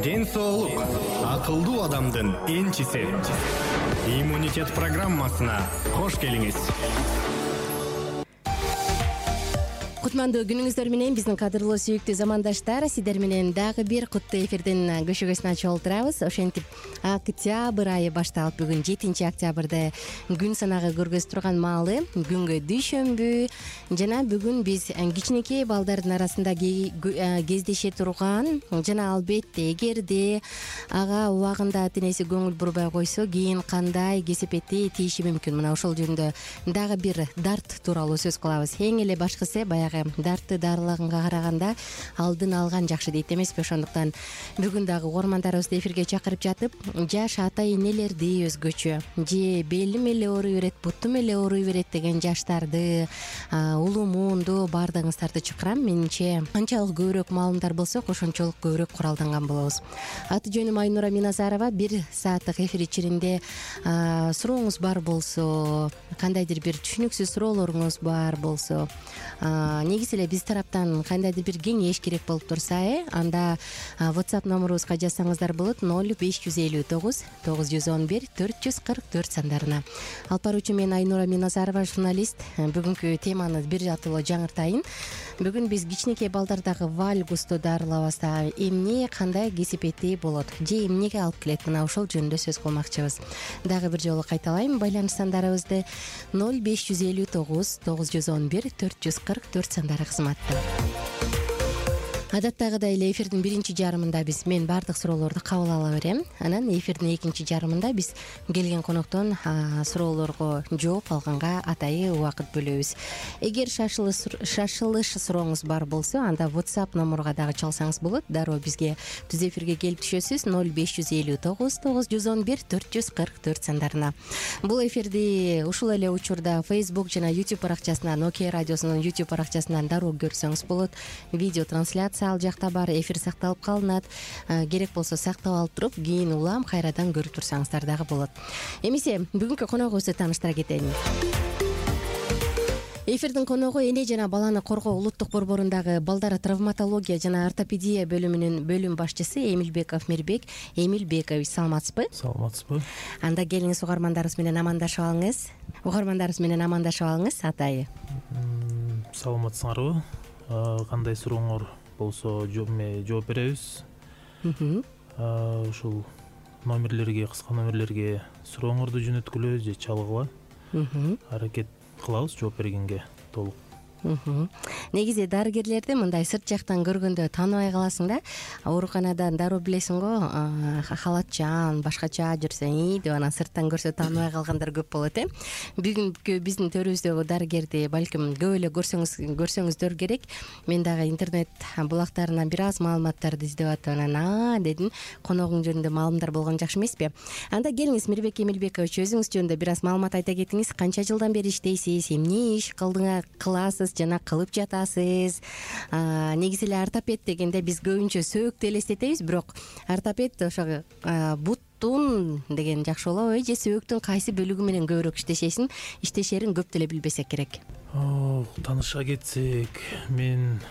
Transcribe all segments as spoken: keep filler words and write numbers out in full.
ден соолук акылдуу адамдын энчиси. Иммунитет программасына кош келиңиз. Кутмандуу күнүңүздөр менен биздин кадырлуу сүйүктүү замандаштар, сиздер менен дагы бир куттуу эфирдин көшөгөсүн ачып отурабыз. Ошентип октябрь айы башталып, бүгүн жетинчи октябрда күн санагы көргөзүп турган маалы, күнгө дүйшөмбү жана бүгүн биз кичинекей балдардын арасында кездеше турган жана албетте эгерде ага убагында ата энеси көңүл бурбай койсо кийин кандай кесепетти тийиши мүмкүн. Мына ошол жөнүндө дагы бир дарт тууралуу сөз кылабыз. Эң эле башкысы баягы дартты дарылаганга караганда алдын алган жакшы дейт эмеспи? Ошондуктан бүгүн дагы угармандарыбызды эфирге чакырып жатып, жаш ата энелерди өзгөчө же белим эле ооруй берет, бутум эле ооруй берет деген жаштарды, улуу муунду баардыгыңыздарды чакырам. Менимче канчалык көбүрөөк маалымдар болсок, ошончолук көбүрөөк куралданган болобуз. Аты жөнүм Айнура Миназарова. Бир сааттык эфир ичинде сурооңуз бар болсо, кандайдыр бир түшүнүксүз суроолоруңуз бар болсо, негизи эле биз тараптан кандайдыр бир кеңеш керек болуп турса, э анда WhatsApp номерубузга жазсаңыздар болот. ноль беш жүз элүү тогуз тогуз жүз он бир төрт жүз кырк төрт сандарына. Алып баруучу мен Айнура Миназарова, журналист. Бүгүнкү теманы бир жатылуу жаңыртайын. Бүгүн биз кичинекей балдардагы вальгусту дарылабастагы эмне, кандай кесепети болот же эмнеге алып келет, мына ошол жөнүндө сөз кылмакчыбыз. Дагы бир жолу кайталайм, байланыш сандарыбызды ноль беш жүз элүү тогуз тогуз жүз он бир төрт жүз кырк төрт сандары кызматта. Адаттагыдай эле эфирдин биринчи жарымында биз мен баардык суроолорду кабыл ала берем. Анан эфирдин экинчи жарымында биз келген коноктон суроолорго жооп алганга атайы убакыт бөлөбүз. Эгер шашылыш сурооңуз бар болсо, анда WhatsApp номурга дагы чалсаңыз болот. Дароо бизге түз эфирге келип түшөсүз ноль беш жүз элүү тогуз тогуз жүз он бир төрт жүз кырк төрт сандарына. Бул эфирди ушул эле учурда Facebook жана YouTube баракчасынан, Nokia радиосунун YouTube баракчасынан дароо көрсөңүз болот. Видео трансляция ал жакта бар, эфир сакталып калынат. Керек болсо сактап алып туруп, кийин улам кайрадан көрүп турсаңыздар дагы болот. Эмесе бүгүнкү коногубузду тааныштыра кетейин. Эфирдин коногу эне жана баланы коргоо улуттук борборундагы балдар травматология жана ортопедия бөлүмүнүн бөлүм башчысы Эмилбеков Мирбек Эмилбекович. Саламатсызбы? Саламатсызбы. Анда келиңиз, угармандарыбыз менен амандашып алыңыз. Угармандарыбыз менен амандашып алыңыз, атайы. Саламатсыңарбы? Кандай сурооңор болсо жооп беребиз. Ушул номерлерге, кыска номерлерге сурооңорду жөнөткүлө же чалгыла. Аракет кылабыз жооп бергенге толук. Негизи дарыгерлерди мындай сырт жактан көргөндө тааныбай каласың да. Ооруканадан дароо билесиң го, халатчан, башкача жүрсөң и деп анан сырттан көрсө тааныбай калгандар көп болот, э. Бүгүнкү биздин төрүбүздөгү дарыгерди балким көп эле көрсөңүз көрсөңүздөр керек. Мен дагы интернет булактарынан бир аз маалыматтарды издеп атып анан а дедим, коногуң жөнүндө маалымдар болгон жакшы эмеспи? Анда келиңиз, Мирбек Эмилбекович, өзүңүз жөнүндө бир аз маалымат айта кетиңиз. Канча жылдан бери иштейсиз, эмне иш кылдыңар, кыласыз жана кылып жатасыз? Негизи эле ортопед дегенде биз көбүнчө сөөктү элестетебиз, бирок ортопед ошо буттун деген жакшы болобу, же сөөктүн кайсы бөлүгү менен көбүрөөк иштешесин, иштешерин көп деле билбесек керек. Тааныша кетсек, мен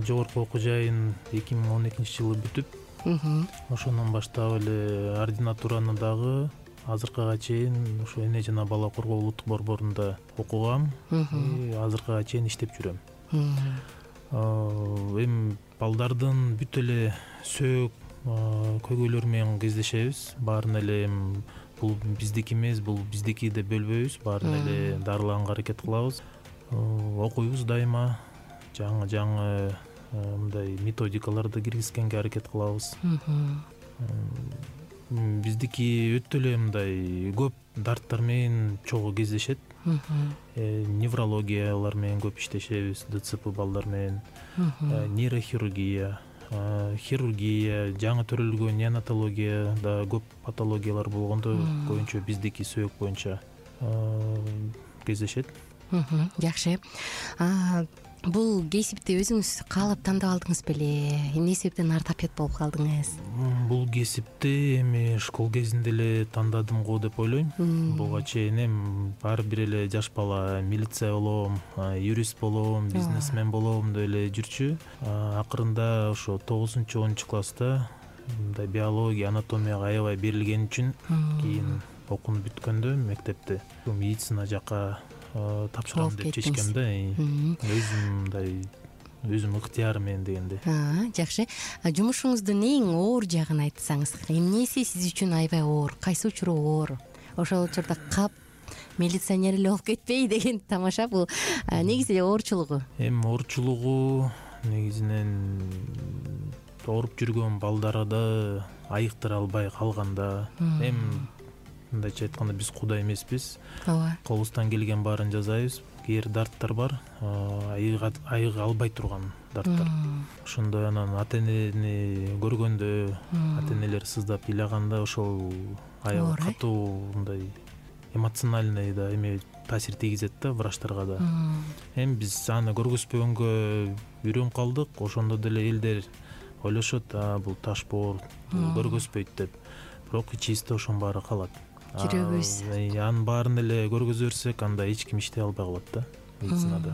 жогорку окуу жайын эки миң он экинчи жылы бүтүп, ошондон баштап эле ординатураны дагы азыркыга чейин ушу эне жана бала коргоо улуттук борборунда окугам. Азыркыга чейин иштеп жүрөм. Эми балдардын бүт эле сөөк көйгөйлөрү менен кездешебиз. Баарын эле бул биздики эмес, бул биздики деп бөлбөйбүз. Баарын эле дарылаганга аракет кылабыз. Окуйбуз дайыма. Жаңы жаңы мындай методикаларды киргизгенге аракет кылабыз. Биздики өтө эле мындай көп дарттар менен чогуу кездешет. Неврологиялар менен көп иштешебиз, ДЦП балдар менен, нейрохирургия, хирургия, жаңы төрөлгөн неонатологияда көп патологиялар болгондо көбүнчө биздики сөөк боюнча кездешет. Жакшы. Бул кесипти өзүңүз каалап тандап алдыңыз беле? Эмне себептен ортопед болуп калдыңыз? Бул кесипти эми школ кезинде эле тандадым го деп ойлойм. Буга чейин эми баары бир эле жаш бала милиция болом, юрист болом, бизнесмен болом деп эле жүрчү. Акырында ошо тогузунчу онунчу класста мындай биология, анатомияга аябай берилген үчүн кийин окуун бүткөндө мектепте медицина жака тапшырам деп чечкем да. Өзүм мындай өзүм ыктыяры менен дегенде. Жакшы. Жумушуңуздун эң оор жагын айтсаңыз, эмнеси сиз үчүн аябай оор, кайсы учуру оор? Ошол учурда кап милиционер эле болуп кетпей деген тамаша. Бул негизи оорчулугу. Эми оорчулугу негизинен ооруп жүргөн балдарда айыктыра албай калганда, эми мындайча айтканда биз кудай эмеспиз. Ооба. Колубуздан келген баарын жасайбыз. Кээ бир дарттар бар, айыга албай турган дарттар. Ошондой анан ата-энени көргөндө, ата-энелер сыздап ыйлаганда ошол аябай катуу мындай эмоциональный да эме таасир тийгизет да врачтарга да. Эми биз аны көргөзбөгөнгө үйрөнүп калдык. Ошондо деле элдер ойлошот, бул таш боор, бул көргөзбөйт деп. Бирок ичибизде ошонун баары калат. Жүрөгүбүз. Анын баарын эле көргөзө берсек, анда эч ким иштей албай калат да медицинада.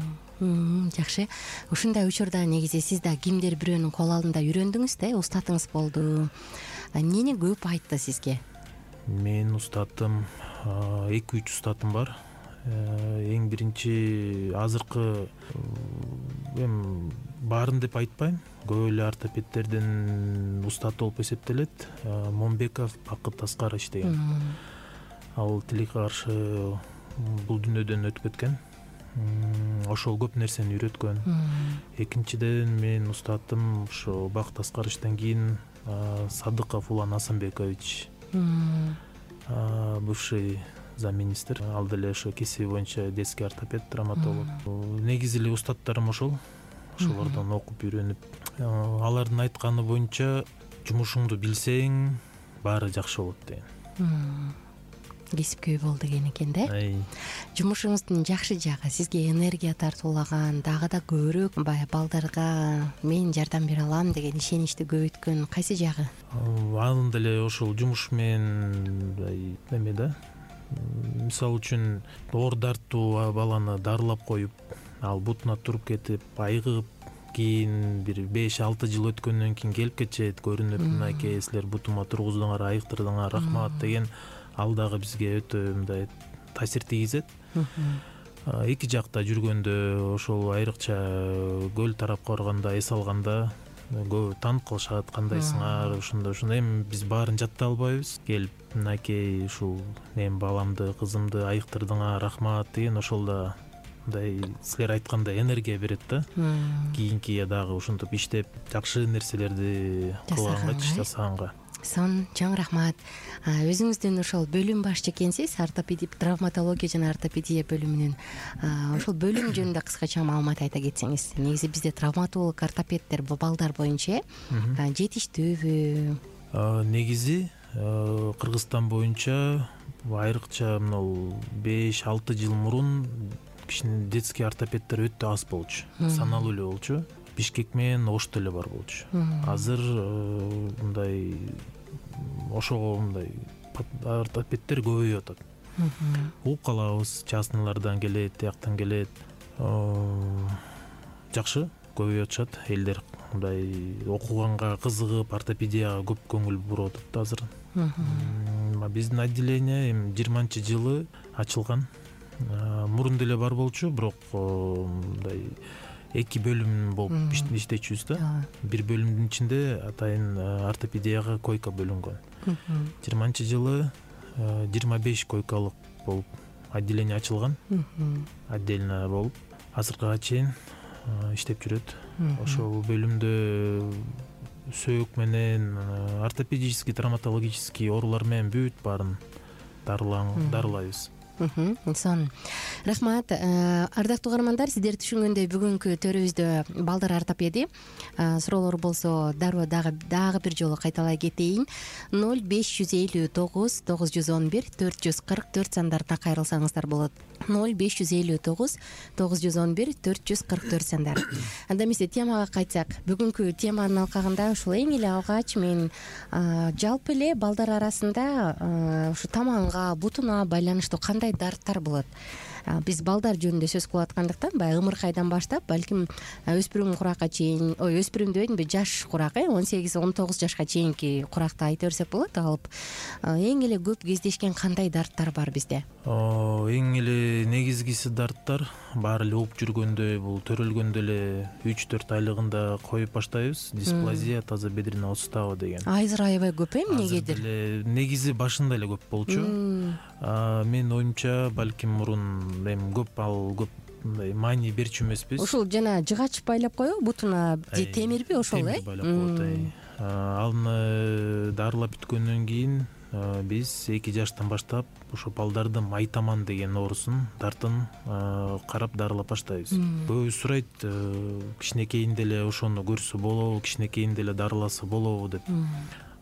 Жакшы. Ушундай учурда негизи сиз да кимдир бирөөнүн кол алдында үйрөндүңүз да, устатыңыз болду. Эмнени көп айтты сизге? Менин устатым эки үч устатым бар. Эң биринчи азыркы эми баарын деп айтпайм, көп эле ортопедтердин устаты болуп эсептелет. Момбеков Бакыт Аскарович деген. Ал тилекке каршы бул дүйнөдөн өтүп кеткен. Ошол көп нерсени үйрөткөн. Экинчиден менин устатым ошо Бакыт Аскаровичтен кийин Садыков Улан Асанбекович, бывший замминистр. Ал деле ошо кесиби боюнча детский ортопед, травматолог. Негизи эле устаттарым ошол. Ошолордон окуп үйрөнүп, алардын айтканы боюнча жумушуңду билсең, баары жакшы болот деген. Кесипкөй бол деген экен да. Жумушуңуздун жакшы жагы, сизге энергия тартуулаган, дагы да көбүрөөк баягы балдарга мен жардам бере алам деген ишеничти көбөйткөн кайсы жагы? Анын деле ошол жумуш менен эме да. Мисалы үчүн оор дарттуу баланы дарылап коюп, ал бутуна туруп кетип, айыгып, кийин бир беш алты жыл өткөндөн кийин келип кетет, көрүнүп, мынакей силер бутума тургуздуңар, айыктырдыңар, рахмат деген, ал дагы бизге өтө мындай таасир тийгизет. Эки жакта жүргөндө ошол айрыкча көл тарапка барганда, эс алганда көп таанып калышат, кандайсыңар, ошондой ошондой. Эми биз баарын жаттай албайбыз. Келип, мынакей ушул мен баламды, кызымды айыктырдыңар, рахмат деген, ошол да мындай силер айткандай энергия берет да. Кийинки дагы ошентип иштеп, жакшы нерселерди кылганга, жасаганга. Сон чоң рахмат. Өзүңүздүн ошол бөлүм башчы экенсиз, ортопедия, травматология жана ортопедия бөлүмүнүн. Ошол бөлүм жөнүндө кыскача маалымат айта кетсеңиз. Негизи бизде травматолог, ортопедтер балдар боюнча жетиштүүбү? Негизи Кыргызстан боюнча айрыкча мына беш алты жыл мурун кичине детский ортопедтер өтө аз болчу, саналуу эле болчу. Бишкек менен Ошто эле бар болчу. Азыр мындай ошого мындай ортопедтер көбөйүп атат. Угуп калабыз, частныйлардан келет, тияктан келет. Жакшы көбөйүп атышат. Элдер мындай окуганга кызыгып, ортопедияга көп көңүл буруп атат азыр. Биздин отделение эми жыйырманчы жылы ачылган. Мурун деле бар болчу, бирок мындай эки бөлүм болуп иштечүбүз да. Бир бөлүмдүн ичинде атайын ортопедияга койка бөлүнгөн. жыйырманчы жылы жыйырма беш койкалык болуп отделение ачылган. Отдельно болуп азыркыга чейин иштеп жүрөт. Ошол бөлүмдө сөөк менен ортопедический, травматологический оорулар менен бүт баарын дарылайбыз. Сон рахмат. Ардактуу каармандар, сиздер түшүнгөндөй бүгүнкү төрүбүздө балдар ортопеди. Суроолор болсо дароо дагы дагы бир жолу кайталай кетейин. ноль беш жүз элүү тогуз тогуз жүз он бир төрт жүз кырк төрт сандарына кайрылсаңыздар болот. ноль беш жүз элүү тогуз тогуз жүз он бир төрт жүз кырк төрт сандар. Анда эмесе темага кайтсак, бүгүнкү теманын алкагында ушул эң эле алгач мен жалпы эле балдар арасында ушу таманга, бутуна байланыштуу кандай дарттар болот? биз балдар жөнүндө сөз кылып аткандыктан баягы ымыркайдан баштап балким өспүрүм куракка чейин ой өспүрүм дебейинби жаш курак э он сегиз он тогуз жашка чейинки куракты айта берсек болот. Алып эң эле көп кездешкен кандай дарттар бар бизде? Эң эле негизгиси дарттар баары эле угуп жүргөндө, бул төрөлгөндө эле үч төрт айлыгында коюп баштайбыз. Дисплазия тазобедренный остава деген. Азыр аябай көп э эмнегедир? Азыр эле негизи башында эле көп болчу. Менин оюмча балким мурун эми көп ал көп мындай маани берчү эмеспиз. Ушул жана жыгач байлап коебу бутуна же темирби ошол э? Темир байлап коет. Аны дарылап бүткөндөн кийин биз эки жаштан баштап ошо балдардын майтаман деген оорусун дартын карап дарылап баштайбыз. Көбү сурайт, кичинекейинде эле ошону көрсө болобу, кичинекейинде эле дарыласа болобу деп.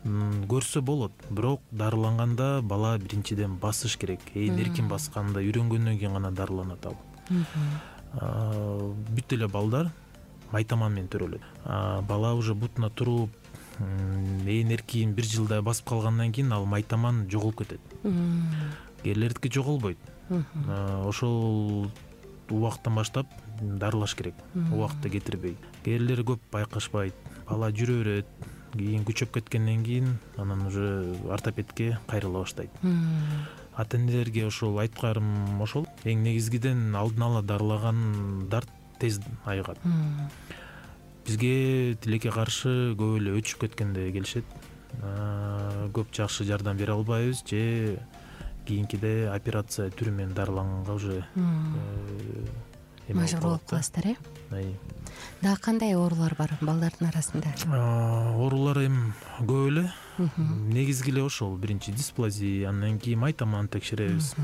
Көрсө болот, бирок дарыланганда бала биринчиден басыш керек. Ээн эркин басканда үйрөнгөндөн кийин гана дарыланат ал. Бүт эле балдар майтаман менен төрөлөт. Бала уже бутуна туруп ээн эркин бир жылдай басып калгандан кийин ал майтаман жоголуп кетет. Эрлердики жоголбойт. Ошол убакыттан баштап дарылаш керек, убакытта кетирбей. Эрлер көп байкашпайт, бала жүрө берет. Кийин күчөп кеткенден кийин анан уже ортопедке кайрыла баштайт. Ата энелерге ошол айткарым ошол. Эң негизгиден алдын ала дарылаган дарт тез айыгат. Бизге тилекке каршы көп эле өчүп кеткенде келишет. Көп жакшы жардам бере албайбыз же кийинкиде операция түрү менен дарыланганга уже мажбур болуп каласыздар э? Дагы кандай оорулар бар балдардын арасында? Оорулар эми көп эле. Негизги эле ошол биринчи дисплазия, андан кийин майтаман текшеребиз.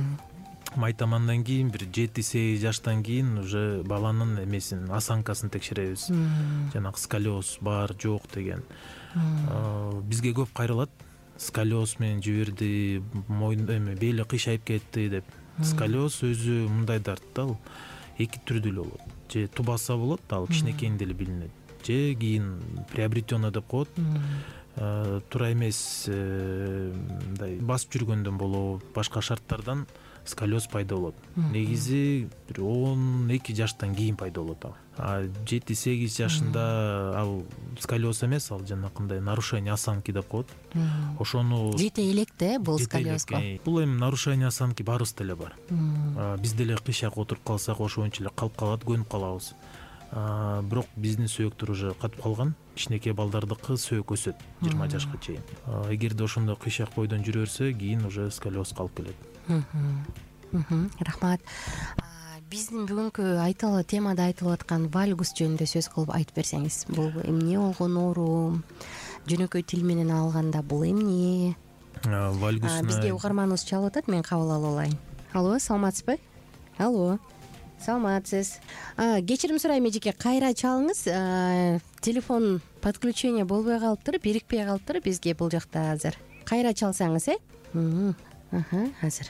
Майтамандан кийин бир жети сегиз жаштан кийин уже баланын эмесин, осанкасын текшеребиз. Жанагы сколиоз бар, жок деген. Бизге көп кайрылат. Сколиоз менен жиберди, мойун эме бели кыйшайып кетти деп. Сколиоз өзү мындай дарт да, ал эки түрдүү эле болот. Же тубаса болот, ал кичинекейинде эле билинет. Же кийин приобретенный деп коет. Туура эмес мындай басып жүргөндөн болобу, башка шарттардан сколиоз пайда болот. Негизи бир он эки жаштан кийин пайда болот ал. А жети сегиз жашында ал сколиоз эмес, ал жанакындай нарушение осанки деп коет. Ошону жете элек да бул сколиозго. Бул эми нарушение осанки баарыбызда эле бар. Биз деле кыйшак отуруп калсак ошончо эле калып калат, көнүп калабыз. Бирок биздин сөөктөр уже катып калган. Кичинекей балдардыкы сөөк өсөт жыйырма жашка чейин. Эгерде ошондой кыйшак бойдон жүрө берсе, кийин уже сколиозго алып келет. Рахмат. Биздин бүгүнкү айтылуу темада айтылып аткан вальгус жөнүндө сөз кылып айтып берсеңиз. Бул эмне болгон оору? Жөнөкөй тил менен алганда бул эмне? Вальгус бизге угарманыбыз чалып атат, мен кабыл алып алайын. Алло, саламатсызбы? Алло. Саламатсыз. Кечирим сурайм эжеке, кайра чалыңыз. Телефон подключение болбой калыптыр, бирикпей калыптыр бизге бул жакта азыр. Кайра чалсаңыз, э? Аха, азыр.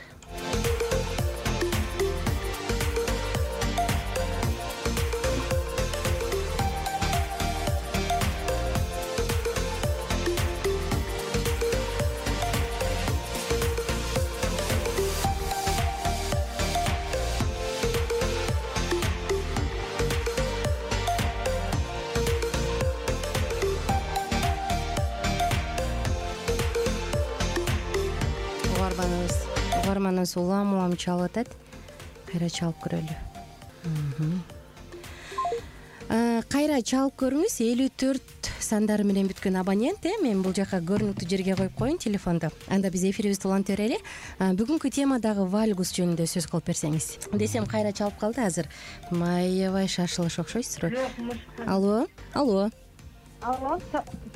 Угарманыбыз улам улам чалып атат. Кайра чалып көрөлү. Кайра чалып көрүңүз. элүү төрт сандары менен бүткөн абонент, э? Мен бул жака көрүнүктүү жерге коюп коеюн телефонду. Анда биз эфирибизди улантып берели. Бүгүнкү темадагы вальгус жөнүндө сөз кылып берсеңиз. Десем кайра чалып калды азыр. Маябай шашылыш окшойсузбу? Алло, алло. Алло,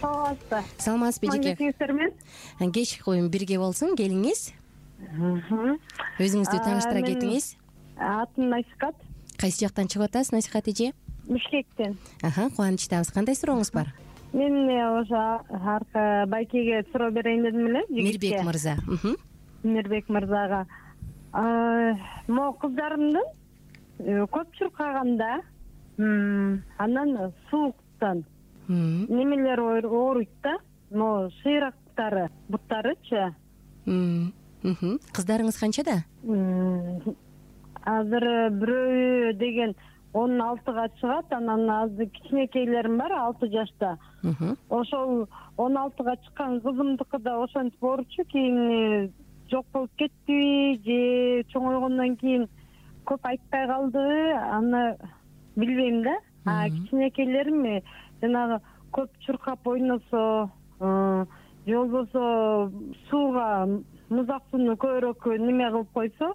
саламатсызбы? Саламатсызбы эжеке? Кеч коюм бирге болсун, келиңиз. Өзүңүздү тааныштыра кетиңиз. Атым Насихат. Кайсы жактан чыгып атасыз, Насихат эже? Бишкектен. Аха, кубанычтабыз. Кандай сурооңуз бар? Мен ошо арка байкеге суроо берейин дедим эле. Мирбек мырза. Мирбек мырзага. Могу кыздарымдын көп чуркаганда, анан сууктан немелер ооруйт да, могу шыйрактары, буттарычы. Кыздарыңыз канчада? азыр бирөө деген он алтыга чыгат, анан азыр кичинекейлерим бар алты жашта. Ошол он алтыга чыккан кызымдыкы да ошентип ооручу, кийин жок болуп кеттиби же чоңойгондон кийин көп айтпай калдыбы, аны билбейм да. А кичинекейлерим жанагы көп чуркап ойносо же болбосо сууга, музак сууну көбүрөөк неме кылып койсо,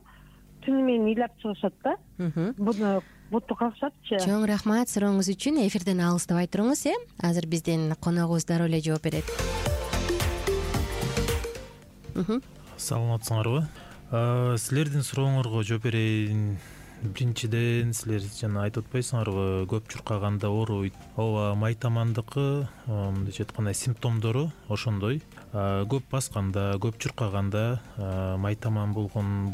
түнү менен ыйлап чыгышат да. Буну буту какшатчы. Чоң рахмат сурооңуз үчүн. Эфирден алыстабай туруңуз, э? Азыр биздин коногубуз дароо эле жооп берет. Саламатсыңарбы? Силердин сурооңорго жооп берейин. Биринчиден, силер жана айтып атпайсыңарбы, көп чуркаганда ооруйт. Ооба, майтамандыкы мындайча айтканда симптомдору ошондой. Көп басканда, көп чуркаганда майтаман болгон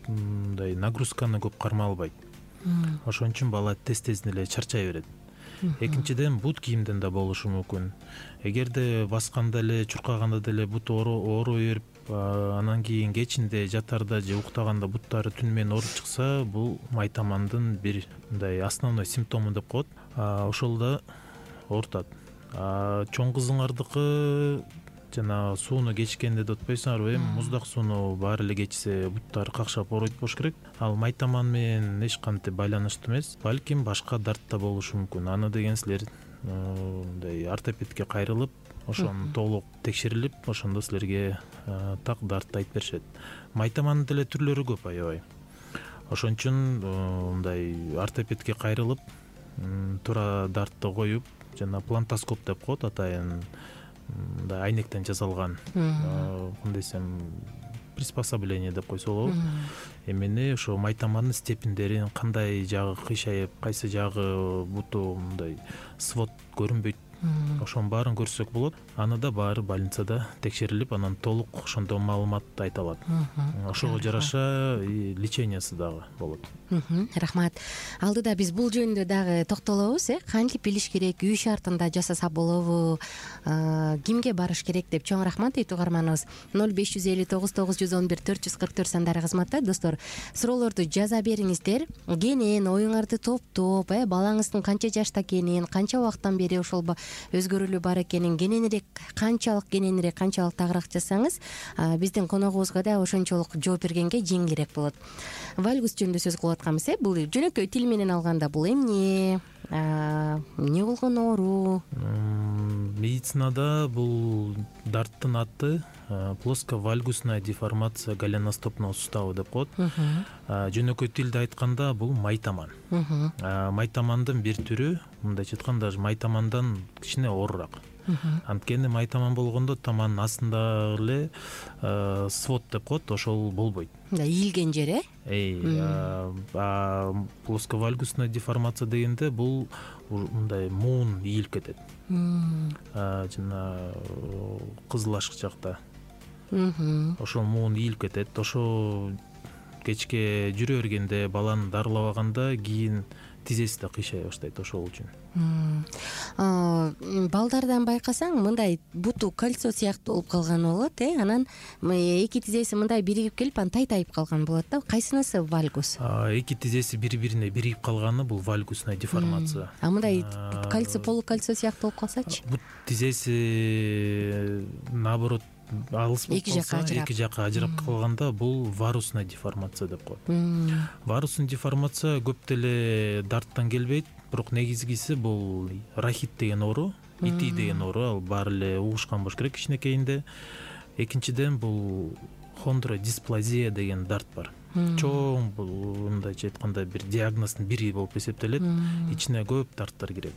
мындай нагрузканы көп кармай албайт. Ошон үчүн бала тез-тезден эле чарчай берет. Экинчиден, бут кийимден да болушу мүмкүн. Эгерде басканда эле, чуркаганда деле бут ооруй берип, анан кийин кечинде жатарда же уктаганда буттары түнү менен ооруп чыкса, бул майтамандын бир мындай основной симптому деп коет. Ошол да оорутат. Чоң кызыңардыкы жана сууну кечкенде деп атпайсыңарбы, эми муздак сууну баары эле кечсе буттары какшап ооруйт болуш керек. Ал майтаман менен эч кантип байланыштуу эмес, балким башка дарт да болушу мүмкүн. Аны деген силер мындай ортопедке кайрылып, ошону толук текшерилип, ошондо силерге так дартты айтып беришет. Майтамандын деле түрлөрү көп аябай. Ошон үчүн мындай ортопедке кайрылып, туура дартты коюп, жана плантоскоп деп коет, атайын мындай айнектен жасалган, кандай десем, приспособление деп койсо болобу. Эмени ошо майтамандын степендерин, кандай жагы кыйшайып, кайсы жагы буту мындай свод көрүнбөйт, ошонун баарын көрсөк болот. Аны да баары больницада текшерилип, анан толук ошондо маалымат айта алат. Ошого жараша лечениясы дагы болот. Рахмат. Алдыда биз бул жөнүндө дагы токтолобуз, э? Кантип билиш керек, үй шартында жасаса болобу, кимге барыш керек деп. Чоң рахмат дейт угарманыбыз. ноль беш жүз элүү тогуз тогуз жүз он бир төрт жүз кырк төрт сандары кызматта. Достор, суроолорду жаза бериңиздер. Кенен оюңарды топтоп, э, балаңыздын канча жашта экенин, канча убакыттан бери ошол өзгөрүүлү бар экенин, кененирээк, канчалык кененирээк, канчалык тагыраак жазсаңыз, биздин коногубузга да ошончолук жооп бергенге жеңилирээк болот. Вальгус жөнүндө сөз кылып атканбыз, э? Бул жөнөкөй тил менен алганда бул эмне? Эмне болгон оору? Медицинада бул дарттын аты плосковальгусная деформация голеностопного сустава деп коет. Жөнөкөй тилде айтканда бул майтаман. Майтамандын бир түрү, мындайча айтканда, майтамандан кичине оорураак. Анткени майтаман болгондо таманын астында эле свод деп коет, ошол болбойт. Ийилген жер, э? Плосковальгусная деформация дегенде бул мындай муун ийилип кетет. Жана кызыл ашык жакта. Ошол муун ийилип кетет. Ошо кечке жүрө бергенде, баланы дарылабаганда кийин тизеси да кыйшай баштайт ошол үчүн. Балдардан байкасаң, мындай буту кольцо сыяктуу болуп калган болот, э? Анан эки тизеси мындай биригип келип, анан тай-тайып калган болот да. Кайсынысы вальгус? Эки тизеси бири-бирине биригип калганы бул вальгусная деформация. А мындай кольцо, полукольцо сыяктуу болуп калсачы? Бут тизеси наоборот алыс болуп калса, эки жакка ажырап калганда бул варусная деформация деп коет. Варусный деформация көп деле дарттан келбейт, бирок негизгиси бул рахит деген оору, ити деген оору, ал баары эле угушкан болуш керек кичинекейинде. Экинчиден бул хондродисплазия деген дарт бар. Чоң, бул мындайча айтканда бир диагноздун бири болуп эсептелет. Ичине көп дарттар кирет.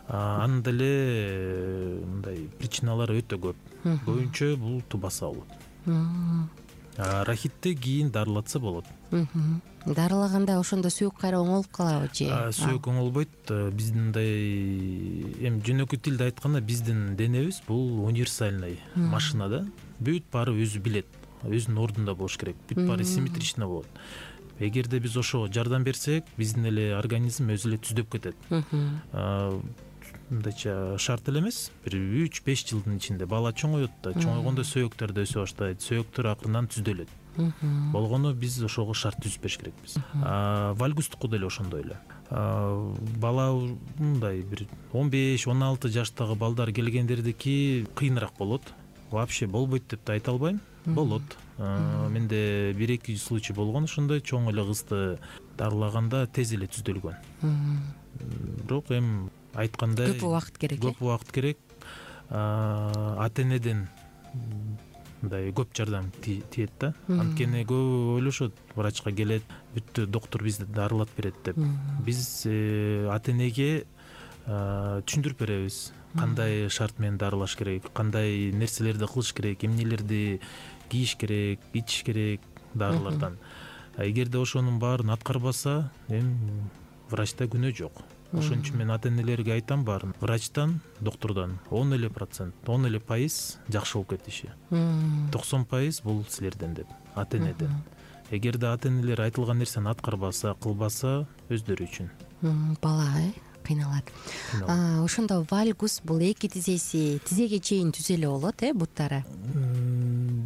Анын деле мындай причиналары өтө көп. Көбүнчө бул тубаса болот. Рахитти кийин дарылатса болот. Дарылаганда ошондо сөөк кайра оңолуп калабы же? Сөөк оңолбойт. Биздин мындай эми жөнөкөй тилде айтканда, биздин денебиз бул универсальный машина да. Бүт баары өзү билет. Өзүнүн ордунда болуш керек. Бүт баары симметрично болот. Эгерде биз ошого жардам берсек, биздин эле организм өзү эле түздөп кетет. Мындайча шарт эле эмес, бир үч беш жылдын ичинде бала чоңойот да, чоңойгондо сөөктөр да өсө баштайт, сөөктөр акырынан түздөлөт. болгону биз ошого шарт түзүп бериш керекпиз. Вальгустуку деле ошондой эле. Бала мындай бир он беш он алты жаштагы балдар келгендердики кыйыныраак болот. Вообще болбойт деп да айта албайм. Болот. Менде бир эки случай болгон ошондой. Чоң эле кызды дарылаганда тез эле түзөлгөн. Бирок эми айткандай көп убакыт керек. Көп убакыт керек. Ата энеден мындай көп жардам тиет да. Анткени көп ойлошот, врачка келет, бүттү доктор бизди дарылап берет деп. Биз ата энеге түшүндүрүп беребиз. Кандай шарт менен дарылаш керек, кандай нерселерди кылыш керек, эмнелерди кийиш керек, ичиш керек дарылардан. Эгерде ошонун баарын аткарбаса, эми врачта күнөө жок. Ошон үчүн мен ата энелерге айтам баарын. Врачтан, доктордон он эле процент, он эле пайыз жакшы болуп кетиши. токсон пайыз бул силерден деп, ата энеден. Эгерде ата энелер айтылган нерсени аткарбаса, кылбаса, өздөрү үчүн. Бала кыйналат. Ошондо вальгус бул эки тизеси тизеге чейин түзөлө болот, э, буттары?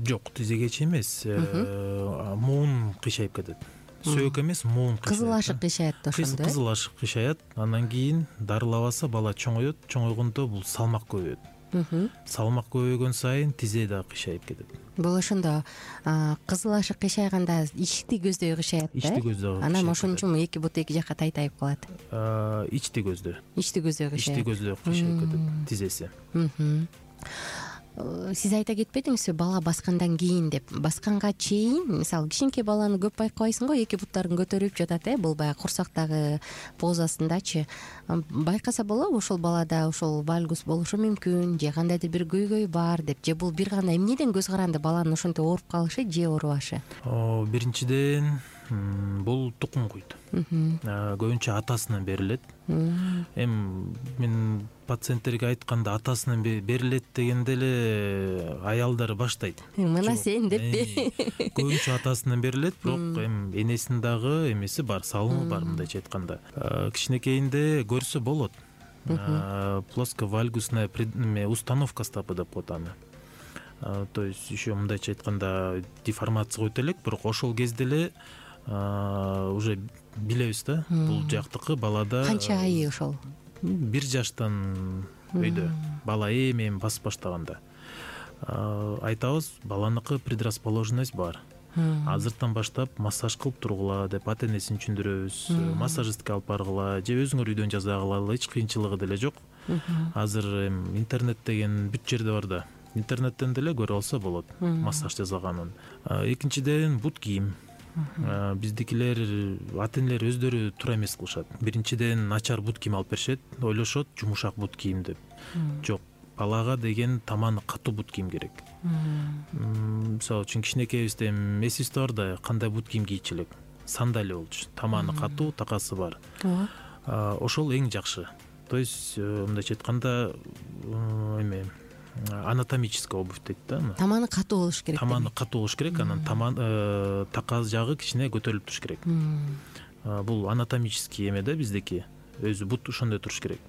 Жок, тизеге чейин эмес. Муун кыйшайып кетет. Сөөк эмес, муун кыйшайт. Кызыл ашык кыйшаят да ошондо. Кызыл ашык кыйшаят. Андан кийин дарылабаса бала чоңоет. Чоңойгондо бул салмак көбөйөт. Салмак көбөйгөн сайын тизе да кыйшайып кетет. Бул ошондо кызыл ашык кыйшайганда ичти көздөй кыйшаят да. Ичти көздөй. Анан ошон үчүн эки бут эки жакка тайтайып калат. Ичти көздөй. Ичти көздөй кыйшайат. Ичти көздөй кыйшайып кетет тизеси. Сиз айта кетпедиңизби бала баскандан кийин деп? Басканга чейин, мисалы, кичинекей баланы көп байкабайсың го, эки буттарын көтөрүп жатат, э, бул баягы курсактагы позасындачы. Байкаса болобу ошол балада ошол вальгус болушу мүмкүн, же кандайдыр бир көйгөй бар деп, же бул бир гана эмнеден көз каранды баланын ошентип ооруп калышы же оорубашы? Биринчиден бул тукум куйт. Көбүнчө атасынан берилет. Эми мен пациенттерге айтканда атасынан берилет дегенде эле аялдар баштайт. Мына сен деппи? Көбүнчө атасынан берилет, бирок эми энесинин дагы эмеси бар, салымы бар мындайча айтканда. Кичинекейинде көрсө болот. Плосковальгусная установка стопы деп коет аны. То есть еще мындайча айтканда деформация өтө элек, бирок ошол кезде эле уже билебиз да, бул жактыкы балада. Канча айы ошол? Бир жаштан өйдө бала эми басып баштаганда айтабыз, баланыкы предрасположенность бар. Азыртан баштап массаж кылып тургула деп ата энесин түшүндүрөбүз. Массажистке алып баргыла же өзүңөр үйдөн жасагыла, эч кыйынчылыгы деле жок. Азыр интернет деген бүт жерде бар да. Интернеттен деле көрүп алса болот массаж жасаганын. Экинчиден бут кийим. Биздикилер ата энелер өздөрү туура эмес кылышат. Биринчиден начар бут кийим алып беришет, ойлошот жумушак бут кийим деп. Жок, балага деген таманы катуу бут кийим керек. Мисалы үчүн кичинекейибизде эсибизде бар да, кандай бут кийим кийчү элек? Сандалия болчу. Таманы катуу, такасы бар. Ошол эң жакшы. То есть мындайча айтканда эме анатомическая обувь дейт да. Таманы катуу болуш керек. Таманы катуу болуш керек, анан таман така жагы кичине көтөрүлүп туруш керек. Бул анатомический эме да биздики. Өзү бут ошондой туруш керек.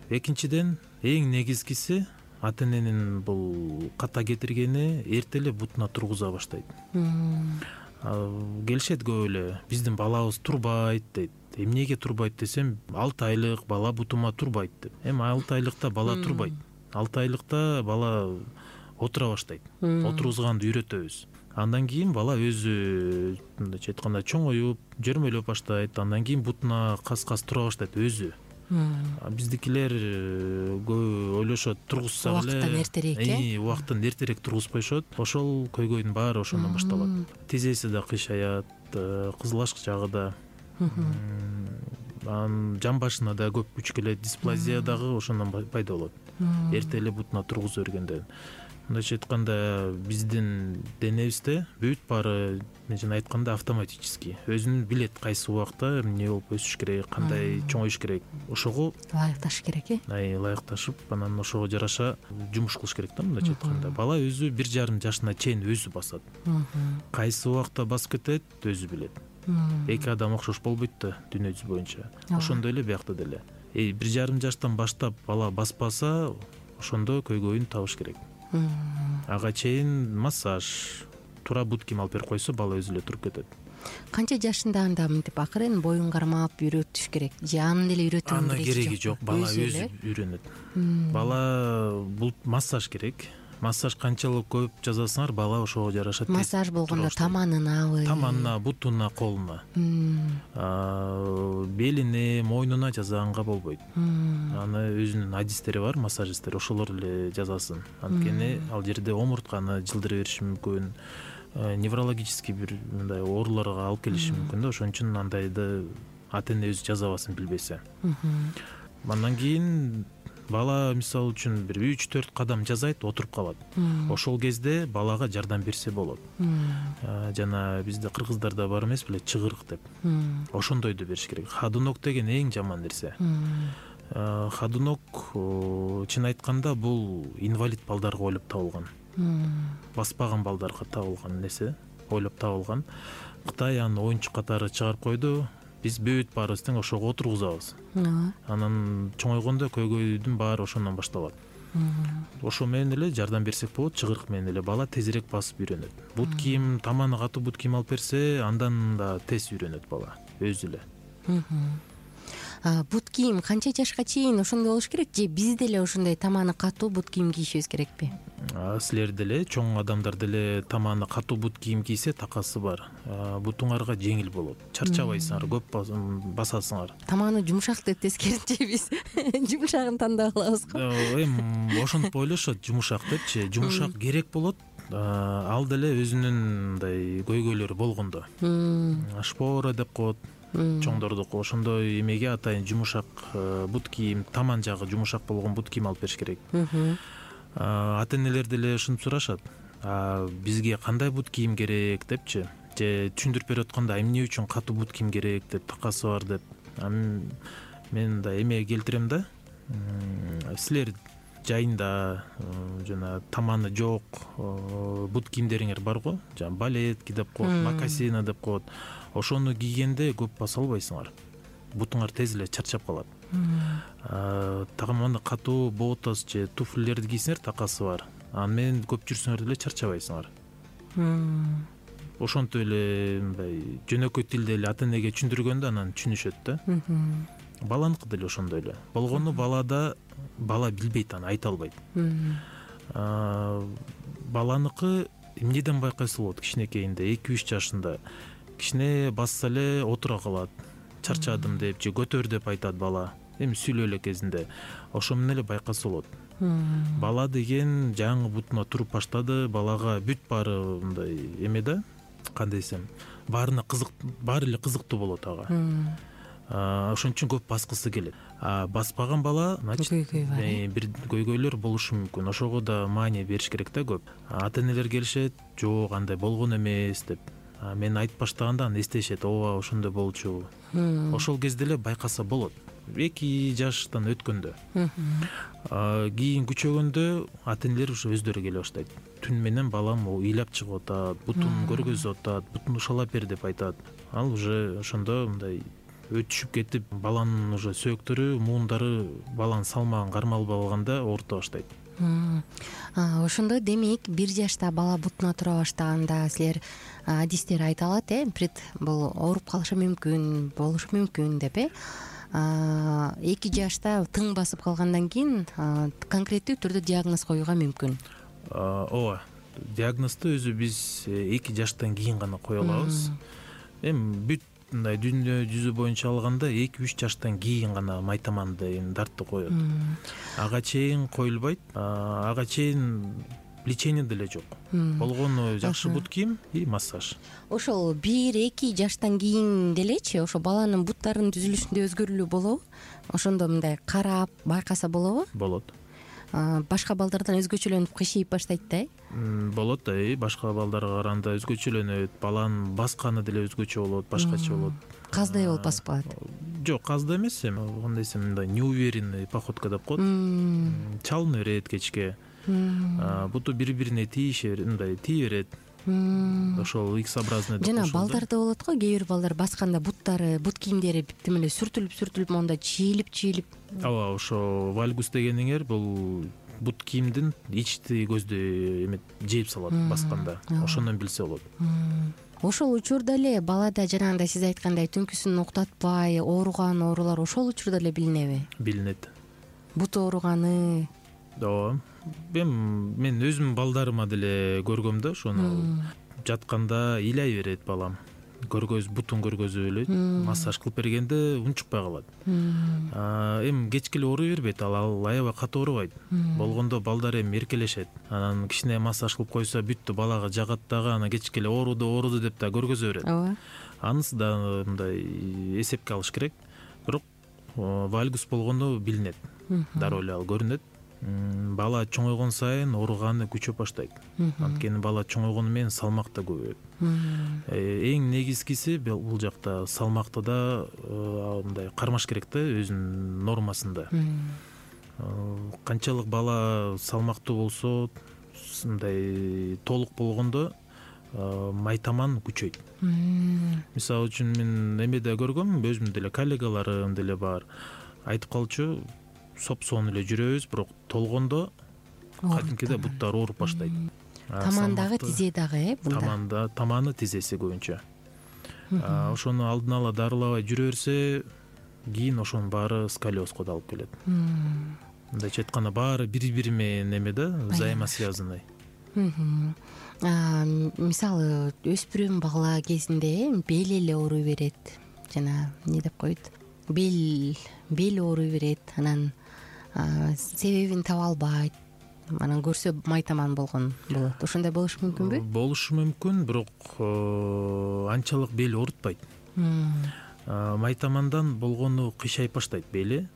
Экинчиден эң негизгиси ата эненин бул ката кетиргени эрте эле бутуна тургуза баштайт. Келишет көп эле, биздин балабыз турбайт дейт. Эмнеге турбайт десем, алты айлык бала бутума турбайт деп. Эми алты айлыкта бала турбайт. алты айлыкта бала отура баштайт. Отургузганды үйрөтөбүз. Андан кийин бала өзү мындайча айтканда чоңоюп, жөрмөлөп баштайт. Андан кийин бутуна кас-кас тура баштайт өзү. Биздикилер көп ойлошот, тургузсак эле убакыттан эртерээк, э? Убакыттан эртерээк тургузуп коюшот. Ошол көйгөйдүн баары ошондон башталат. Тизеси да кыйшаят, кызыл ашык жагы да. Анан жан башына да көп күч келет, дисплазия дагы ошондон пайда болот. Эрте эле бутуна тургуза бергенден. Мындайча айтканда биздин денебизде бүт баары мен айтканда автоматический. Өзүн билет кайсы убакта эмне болуп өсүш керек, кандай чоңоюш керек. Ошого ылайыкташыш керек, э? Ай, ылайыкташып, анан ошого жараша жумуш кылыш керек да, мындайча айтканда. Бала өзү бир жарым жашына чейин өзү басат. Кайсы убакта басып кетет, өзү билет. Эки адам окшош болбойт да дүйнө жүзү боюнча. Ошондой эле биякта деле. Бир жарым жаштан баштап бала баспаса, ошондо көйгөйүн табыш керек. ага чейин массаж, туура бут кийим алып берип койсо бала өзү эле туруп кетет. Канча жашында анда мынтип акырын боюн кармап үйрөтүш керек же анын деле үйрөтүү ана кереги жок, бала өзү үйрөнөт. Бала бул массаж керек. Массаж канчалык көп жасасаңар, бала ошого жараша. Массаж болгондо таманынабы, таманына, бутуна, колуна, белине, мойнуна жасаганга болбойт. Аны өзүнүн адистери бар, массажисттер, ошолор эле жасасын. Анткени ал жерде омуртканы жылдыра бериши мүмкүн, неврологический бир мындай ооруларга алып келиши мүмкүн да, ошон үчүн андайды ата эне өзү жасабасын билбесе. Андан кийин бала мисалы үчүн бир үч төрт кадам жасайт, отуруп калат. Ошол кезде балага жардам берсе болот. Жана бизде кыргыздарда бар эмес беле, чыгырык деп. Ошондойду бериш керек. Ходунок деген эң жаман нерсе. Ходунок, чын айтканда, бул инвалид балдарга ойлоп табылган. Баспаган балдарга табылган нерсе, ойлоп табылган. Кытай аны оюнчук катары чыгарып койду. Биз бүт баарыбыз тең ошого отургузабыз. Анан чоңойгондо көйгөйдүн баары ошондон башталат. Ошо менен эле жардам берсек болот, чыгырык менен эле бала тезирээк басып үйрөнөт. Бут кийим, таманы катуу бут кийим алып берсе, андан да тез үйрөнөт бала өзү эле. Бут кийим канча жашка чейин ошондой болуш керек же биз деле ошондой таманы катуу бут кийим кийишибиз керекпи? Силер деле, чоң адамдар деле таманы катуу бут кийим кийсе такасы бар. Бутуңарга жеңил болот. Чарчабайсыңар, көп басасыңар. Таманы жумшак деп тескеринче биз жумшагын тандап алабыз го. Эми ошентип ойлошот, жумшак депчи. Жумшак керек болот. Ал деле өзүнүн мындай көйгөйлөрү болгондо. Шпора деп коет. Чоңдордук ошондой эмеге атайын жумшак бут кийим, таман жагы жумшак болгон бут кийим алып бериш керек. Ата энелер деле ушинтип сурашат. Бизге кандай бут кийим керек депчи, же түшүндүрүп берип атканда эмне үчүн катуу бут кийим керек деп, такасы бар деп. Мен да эме келтирем да. Силер жайында жана таманы жок бут кийимдериңер бар го, жана балетки деп коет, мокасины деп коет. Ошону кийгенде көп баса албайсыңар. Бутуңар тез эле чарчап калат. Таманы катуу ботас же туфлилерди кийсеңер, такасы бар. Аны менен көп жүрсөңөр деле чарчабайсыңар. Ошентип эле мындай жөнөкөй тилде эле ата энеге түшүндүргөндө анан түшүнүшөт да. Баланыкы деле ошондой эле. Болгону балада бала билбейт, аны айта албайт. Баланыкы эмнеден байкайса болот, кичинекейинде, эки үч жашында кичине басса эле отура калат. Чарчадым деп же көтөр деп айтат бала. Эми сүйлөө эле кезинде. Ошо менен эле байкаса болот. Бала деген жаңы бутуна туруп баштады, балага бүт баары мындай эме да, кандай десем, баарына кызык, баары эле кызыктуу болот ага. Ошон үчүн көп баскысы келет. Баспаган бала, значит, бир көйгөйлөр болушу мүмкүн. Ошого да маания бериш керек да көп. Ата энелер келишет, жок, андай болгон эмес деп. Мен айтып баштаганда аны эстешет, ооба ошондой болчу. Ошол кезде эле байкаса болот. эки жаштан өткөндө. Кийин күчөгөндө ата энелер ушу өздөрү келе баштайт. Түн менен балам ыйлап чыгып атат, бутун көргөзүп атат, бутун ушалап бер деп айтат. Ал уже ошондо мындай өтүшүп кетип, баланын уже сөөктөрү, муундары баланын салмагын кармалып алганда оорута баштайт. Ошондо демек бир жашта бала бутуна тура баштаганда силер адистер айта алат, э, пред бул ооруп калышы мүмкүн, болушу мүмкүн деп, э. эки жашта тың басып калгандан кийин конкреттүү түрдө диагноз коюуга мүмкүн. Ооба, диагнозду өзү биз эки жаштан кийин гана кое алабыз. Эми бүт мындай дүйнө жүзү боюнча алганда эки үч жаштан кийин гана майтаманды дартты коет. Ага чейин коюлбайт. Ага чейин лечение деле жок. Болгону жакшы бут кийим и массаж. Ошол бир эки жаштан кийин делечи, ошо баланын буттарынын түзүлүшүндө өзгөрүүлөр болобу? Ошондо мындай карап байкаса болобу? Болот. Башка балдардан өзгөчөлөнүп кыйшайып баштайт да, э? Болот да, башка балдарга караганда өзгөчөлөнөт. Баланын басканы деле өзгөчө болот, башкача болот. Каздай болуп басып калат. Жок, каздай эмес, эми кандай десем, мындай неуверенный походка деп коет. Чалына берет кечке. Буту бири-бирине тийише, мындай тие берет. Ошол икс-образный деп коет. Жана балдарда болот го, кээ бир балдар басканда буттары, бут кийимдери тим эле сүртүлүп-сүртүлүп, монда чийилип-чийилип. Ооба, ошо вальгус дегениңер бул бут кийимдин ичти көздү эме жээп салат басканда, ошондон билсе болот. Ошол учурда эле балада жанагындай сиз айткандай түнкүсүн уктатпай ооруган оорулар ошол учурда эле билинеби? Билинет. Бут ооруганы. Ооба. Эми мен өзүм балдарыма деле көргөм да, ошону жатканда ыйлай берет балам. Көргөз бутун көргөзүп эле массаж кылып бергенде унчукпай калат. Эми кечке эле ооруй бербейт, ал аябай катуу оорубайт. Болгондо балдар эми эркелешет. Анан кичине массаж кылып койсо бүттү, балага жагат дагы, анан кечке эле ооруду ооруду деп да көргөзө берет. Ооба. Анысы да мындай эсепке алыш керек. Бирок вальгус болгондо билинет. Дароо эле ал көрүнөт. Бала чоңойгон сайын ооруганы күчөп баштайт. Анткени бала чоңойгону менен салмак да көбөйөт. Эң негизгиси бул жакта салмакты да мындай кармаш керек да, өзүнүн нормасында. Канчалык бала салмактуу болсо, мындай толук болгондо майтаман күчөйт. Мисалы үчүн мен эмеде көргөм, өзүмдүн деле коллегаларым деле бар. Айтып калчу, соп-соон эле жүрөбүз, бирок толгондо кадимкиде буттар ооруп баштайт. Тамандагы, тизе дагы, э, бунда. Таманда, таманы, тизеси көбүнчө. Ошону алдын ала дарылабай жүрө берсе, кийин ошонун баары сколиозго да алып келет. Мындайча айтканда, баары бири-бири менен эме да, взаимосвязанный. Мисалы, өспүрүм бала кезинде бел эле ооруй берет. Жана эмне деп коет? Бел, бел ооруй берет. Анан себебин таба албайт. Анан көрсө майтаман болгон болот. Ошондой болушу мүмкүнбү? Болушу мүмкүн, бирок анчалык бел оорутпайт. Майтамандан болгону кыйшайып баштайт бели.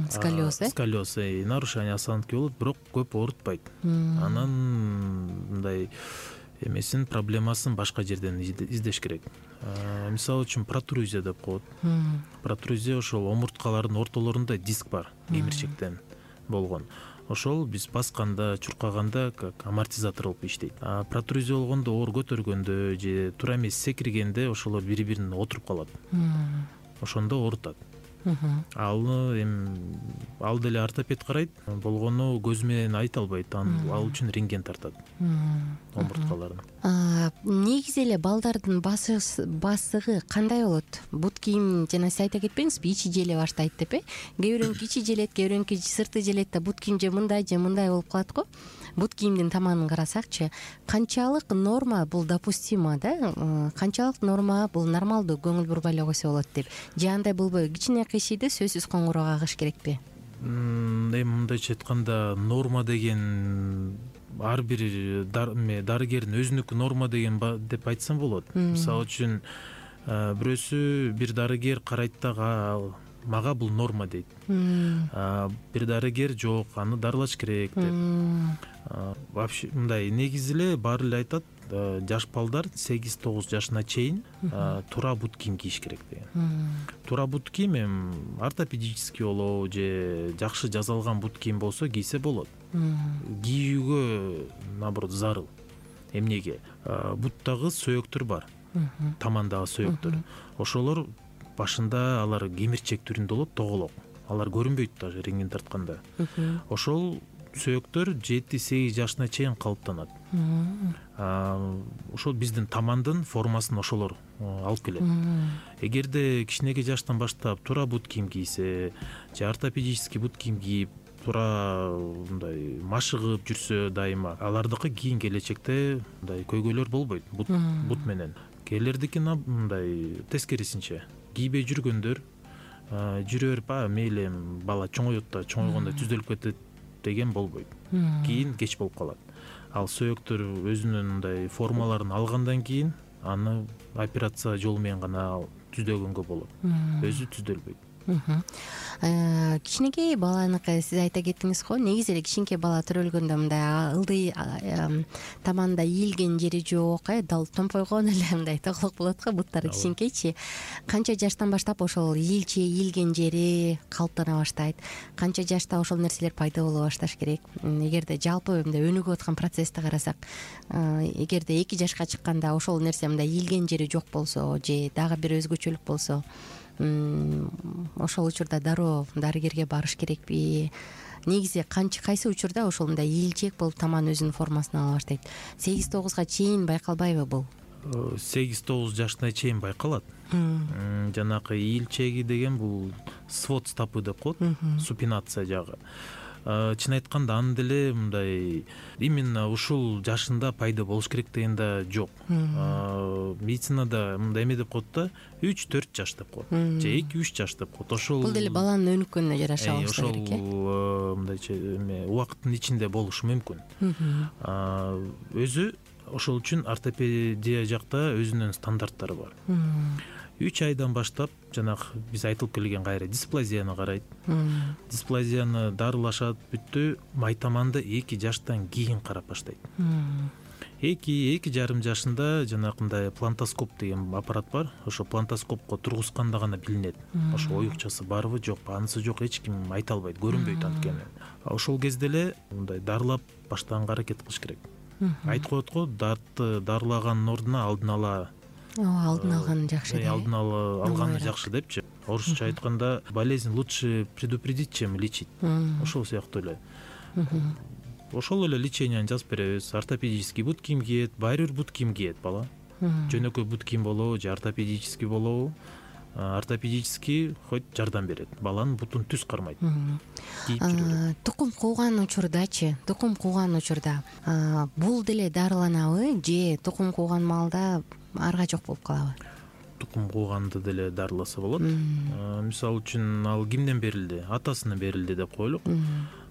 Сколиоз, э? Сколиоз, нарушение осанки болот, бирок көп оорутпайт. Анан мындай эмесин, проблемасын башка жерден издеш керек. Мисалы үчүн протрузия деп коет. Протрузия ошол омурткалардын ортолорунда диск бар, кемирчектен болгон. Ошол биз басканда, чуркаганда как амортизатор болуп иштейт. А протрузия болгондо оор көтөргөндө же туура эмес секиргенде ошолор бири-бирине отуруп калат. Ошондо оорутат. Ал эми ал деле ортопед карайт, болгону көз менен айта албайт, ал үчүн рентген тартат омурткаларын. Негизи эле балдардын басыгы кандай болот? Бут кийим жана сиз айта кетпеңизби, ичи желе баштайт деп, э? Кээ бирөөнүкү ичи желет, кээ бирөөнүкү сырты желет да бут кийим же мындай же мындай болуп калат го. Бут кийимдин таманын карасакчы, канчалык норма бул допустимо да? Канчалык норма бул нормалдуу, көңүл бурбай эле койсо болот деп? Же андай болбойбу? Кичине кыйшийды сөзсүз коңгуроо кагыш керекпи? Эми мындайча айтканда, норма деген ар бир дарыгердин өзүнүкү норма деген деп айтсам болот. Мисалы үчүн бирөөсү, бир дарыгер карайт дагы, мага бул норма дейт. Бир дарыгер жок, аны дарылаш керек деп. Вообще мындай негизи эле баары эле айтат, жаш балдар сегиз тогуз жашына чейин туура бут кийим кийиш керек деген. Туура бут кийим эми ортопедический болобу же жакшы жасалган бут кийим болсо кийсе болот. Кийүүгө наоборот зарыл. Эмнеге? Буттагы сөөктөр бар. Тамандагы сөөктөр. Ошолор башында алар кемирчек түрүндө болот, тоголок. Алар көрүнбөйт даже рентген тартканда. Ошол сөөктөр жети сегиз жашына чейин калыптанат. Ошол биздин тамандын формасын ошолор алып келет. Эгерде кичинекей жаштан баштап туура бут кийим кийсе, же ортопедический бут кийим кийип, туура мындай машыгып жүрсө дайыма, алардыкы кийин келечекте мындай көйгөйлөр болбойт бут бут менен. Кээлердики мындай тескерисинче кийбей жүргөндөр жүрө берип, мейли бала чоңойот да, чоңойгондо түзөлүп кетет деген болбойт. Кийин кеч болуп калат. Ал сөөктөр өзүнүн мындай формаларын алгандан кийин аны операция жолу менен гана түздөгөнгө болот. Өзү түздөлбөйт. Кичинекей баланыкы сиз айта кеттиңиз го, негизи эле кичинекей бала төрөлгөндө мындай ылдый таманда ийилген жери жок, э, дал томпойгон эле мындай тоголок болот го, буттары кичинекейчи. Канча жаштан баштап ошол ийилчи, ийилген жери калыптана баштайт? Канча жашта ошол нерселер пайда боло башташ керек? Эгерде жалпы мындай өнүгүп аткан процессти карасак, эгерде эки жашка чыкканда ошол нерсе мындай ийилген жери жок болсо же дагы бир өзгөчөлүк болсо, ошол учурда дароо дарыгерге барыш керекпи негизи кайсы учурда ошол мындай ийилчээк болуп таман өзүнүн формасын ала баштайт? сегиз тогузга чейин байкалбайбы бул? сегиз тогуз жашына чейин байкалат. Жанакы ийилчеги деген бул свод стопы деп коет, супинация жагы. Чын айтканда аны деле мындай именно ушул жашында пайда болуш керек деген да жок. Медицинада мындай эме деп коет да, үч төрт жаш деп коет же эки үч жаш деп коет. Ошол бул деле баланын өнүккөнүнө жараша болушу керек э. Ошол мындайча эме убакыттын ичинде болушу мүмкүн. Өзү ошол үчүн ортопедия жакта өзүнүн стандарттары бар. үч айдан баштап жанагы биз айтылып келген кайра дисплазияны карайт. Дисплазияны дарылашат, бүттү. Майтаманды эки жаштан кийин карап баштайт. эки эки жарым жашында жанакындай плантоскоп деген аппарат бар. Ошо плантоскопко тургузганда гана билинет. Ошо оюкчасы барбы жокпу, анысы жок, эч ким айта албайт, көрүнбөйт анткени. Ошол кезде эле мындай дарылап баштаганга аракет кылыш керек. Айтып коет го, дартты дарылагандын ордуна алдын ала алдын алган жакшы. Алдын ала алганы жакшы депчи. Орусча айтканда болезнь лучше предупредить, чем лечить. Ошол сыяктуу эле. Ошол эле леченияны жазып беребиз. Ортопедический бут кийим кийет, баары бир бут кийим кийет бала. Жөнөкөй бут кийим болобу же ортопедический болобу, ортопедический хоть жардам берет. Баланын бутун түз кармайт. Кийип жүрөт. Тукум кууган учурдачы, тукум кууган учурда бул деле дарыланабы же тукум кууган маалда арга жок болуп калабы? Тукум кууганды деле дарыласа болот. Мисалы үчүн ал кимден берилди? Атасынан берилди деп коелук.